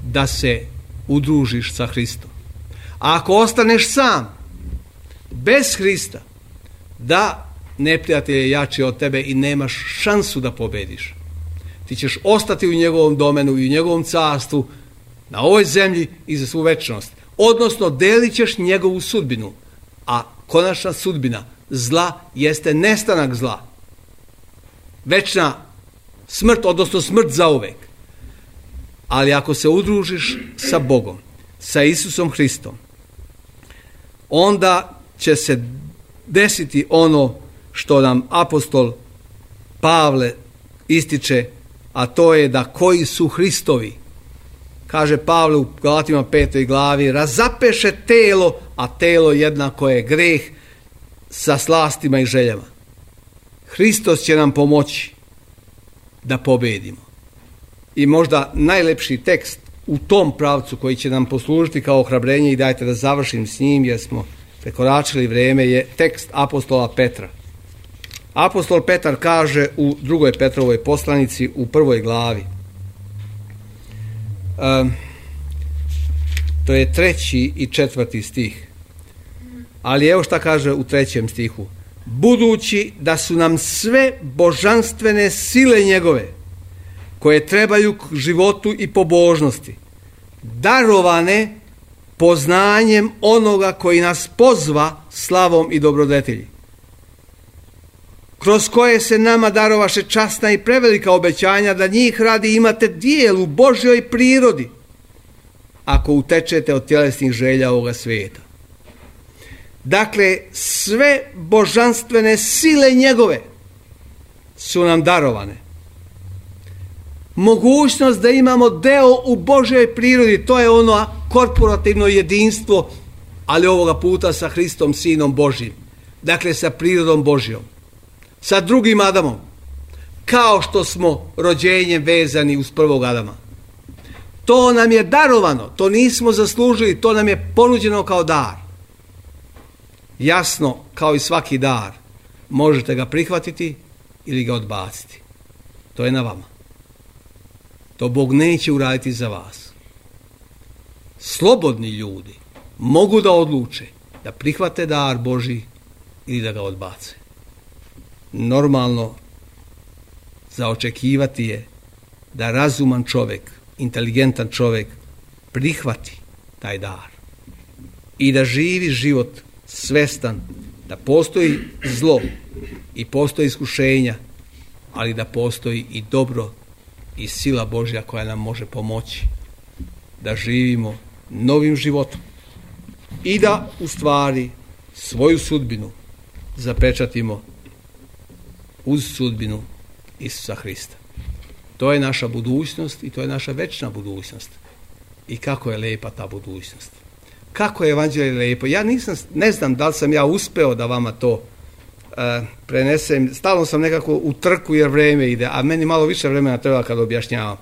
da se udružiš sa Hristom. A ako ostaneš sam, bez Hrista, da, neprijatelj je jači od tebe i nemaš šansu da pobediš. Ti ćeš ostati u njegovom domenu i u njegovom carstvu, na ovoj zemlji i za svu večnost. Odnosno, delit ćeš njegovu sudbinu. A konačna sudbina zla jeste nestanak zla. Večna smrt, odnosno smrt zauvek. Ali ako se udružiš sa Bogom, sa Isusom Hristom, onda će se desiti ono što nam apostol Pavle ističe, a to je da koji su Hristovi, kaže Pavle u Galatima petoj glavi, razapeše telo, a telo jednako je greh sa slastima i željama. Hristos će nam pomoći da pobedimo. I možda najlepši tekst u tom pravcu koji će nam poslužiti kao ohrabrenje, i dajte da završim s njim jer smo prekoračili vrijeme, je tekst apostola Petra. Apostol Petar kaže u drugoj Petrovoj poslanici u prvoj glavi, um, to je treći i četvrti stih, ali evo šta kaže u trećem stihu: budući da su nam sve božanstvene sile njegove, koje trebaju k životu i pobožnosti, darovane poznanjem onoga koji nas pozva slavom i dobrodetilji, kroz koje se nama darovaše časna i prevelika obećanja, da njih radi imate dijel u Božjoj prirodi, ako utečete od tjelesnih želja ovoga svijeta. Dakle, sve božanstvene sile njegove su nam darovane. mogućnost da imamo deo u Božjoj prirodi, to je ono korporativno jedinstvo, ali ovoga puta sa Hristom, Sinom Božjim. Dakle, sa prirodom Božjom, sa drugim Adamom, kao što smo rođenjem vezani uz prvog Adama. To nam je darovano, to nismo zaslužili, to nam je ponuđeno kao dar. Jasno, kao i svaki dar, možete ga prihvatiti ili ga odbaciti. To je na vama. To Bog neće uraditi za vas. Slobodni ljudi mogu da odluče da prihvate dar Božji ili da ga odbace. Normalno za očekivati je da razuman čovjek, inteligentan čovjek prihvati taj dar i da živi život svestan da postoji zlo i postoji iskušenja, ali da postoji i dobro i sila Božja koja nam može pomoći da živimo novim životom i da u stvari svoju sudbinu zapečatimo uz sudbinu Isusa Hrista. To je naša budućnost i to je naša večna budućnost. I kako je lepa ta budućnost. Kako je evanđelje lepo. Ja nisam, ne znam da li sam ja uspeo da vama to uh, prenesem. Stalno sam nekako u trku jer vreme ide, a meni malo više vremena treba kad objašnjavam.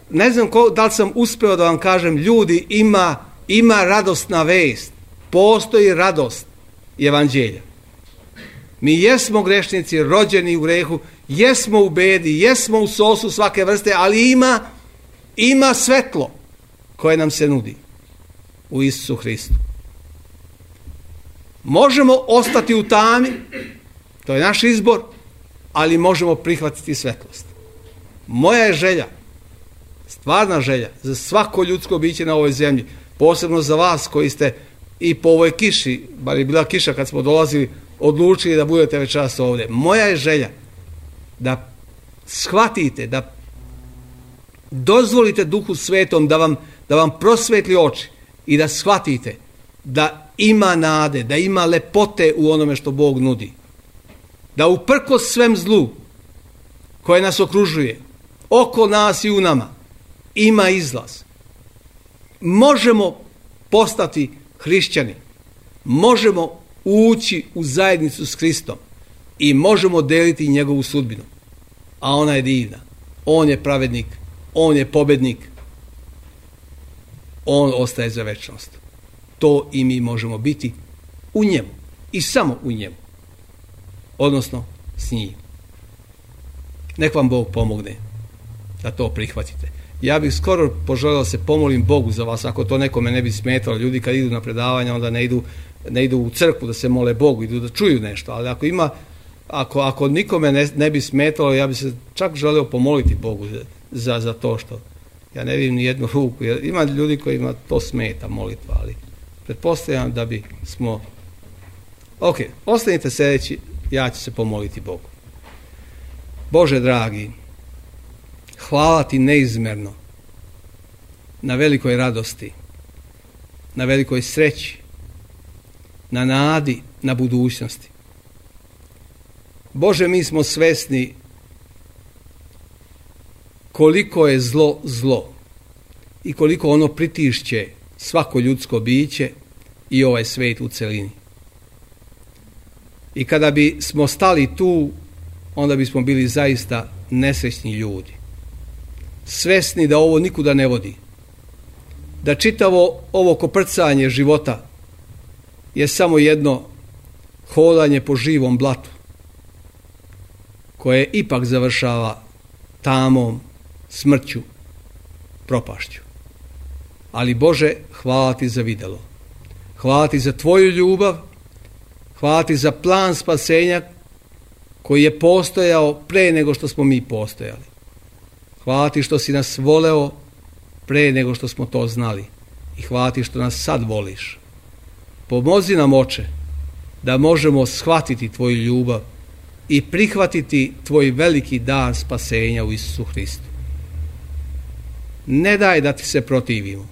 Ne znam ko, da li sam uspeo da vam kažem, ljudi, ima, ima radosna vest. Postoji radost evanđelja. Mi jesmo grešnici, rođeni u grehu, jesmo u bedi, jesmo u sosu svake vrste, ali ima, ima svetlo koje nam se nudi u Isusu Hristu. Možemo ostati u tami, to je naš izbor, ali možemo prihvatiti svetlost. Moja je želja, stvarna želja, za svako ljudsko biće na ovoj zemlji, posebno za vas koji ste i po ovoj kiši, bar je bila kiša kad smo dolazili, odlučili da budete večeras ovdje. Moja je želja da shvatite, da dozvolite Duhu Svetom da vam, da vam prosvetli oči i da shvatite da ima nade, da ima lepote u onome što Bog nudi. Da uprkos svem zlu koje nas okružuje, oko nas i u nama, ima izlaz. Možemo postati hrišćani, možemo ući u zajednicu s Hristom i možemo deliti njegovu sudbinu. A ona je divna. On je pravednik, on je pobednik, on ostaje za večnost. To i mi možemo biti u njemu i samo u njemu. Odnosno s njim. Nek vam Bog pomogne da to prihvatite. Ja bih skoro poželio da se pomolim Bogu za vas, ako to nekome ne bi smetalo. Ljudi kad idu na predavanja, onda ne idu, ne idu u crkvu da se mole Bogu, idu da čuju nešto. Ali ako ima, ako, ako nikome ne, ne bi smetalo, ja bi se čak želio pomoliti Bogu za, za to što ja ne vidim ni jednu ruku. Jer ima ljudi kojima to smeta molitva, ali pretpostavljam da bi smo... Ok, ostanite sljedeći, ja ću se pomoliti Bogu. Bože dragi, hvala ti neizmerno na velikoj radosti, na velikoj sreći, na nadi, na budućnosti. Bože, mi smo svesni koliko je zlo zlo i koliko ono pritišće svako ljudsko biće i ovaj svijet u celini. I kada bi smo stali tu, onda bismo bili zaista nesrećni ljudi. Svesni da ovo nikuda ne vodi. Da čitavo ovo koprcanje života je samo jedno hodanje po živom blatu koje ipak završava tamom, smrću, propašću. Ali Bože, hvala ti za videlo. Hvala ti za tvoju ljubav, hvala ti za plan spasenja koji je postojao pre nego što smo mi postojali. Hvala ti što si nas voleo pre nego što smo to znali. I hvala ti što nas sad voliš. Pomozi nam, Oče, da možemo shvatiti tvoju ljubav i prihvatiti tvoj veliki dar spasenja u Isusu Hristu. Ne daj da ti se protivimo.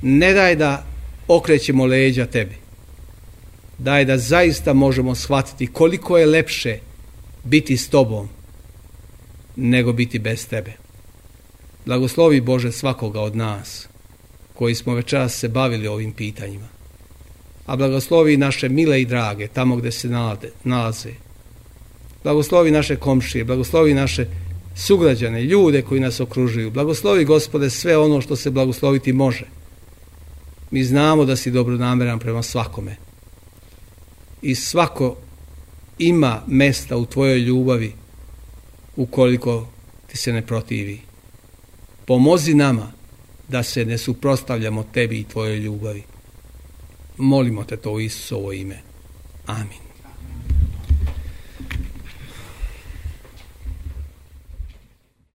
Ne daj da okrećemo leđa tebi. Daj da zaista možemo shvatiti koliko je lepše biti s tobom nego biti bez tebe. Blagoslovi Bože svakoga od nas koji smo večeras se bavili ovim pitanjima. A blagoslovi naše mile i drage tamo gdje se nalaze. Blagoslovi naše komšije, blagoslovi naše sugrađane, ljude koji nas okružuju. Blagoslovi, Gospode, sve ono što se blagosloviti može. Mi znamo da si dobronameran prema svakome. I svako ima mesta u tvojoj ljubavi ukoliko ti se ne protivi. Pomozi nama da se ne suprotstavljamo tebi i tvojoj ljubavi. Molimo te to u Isusovo ime. Amin.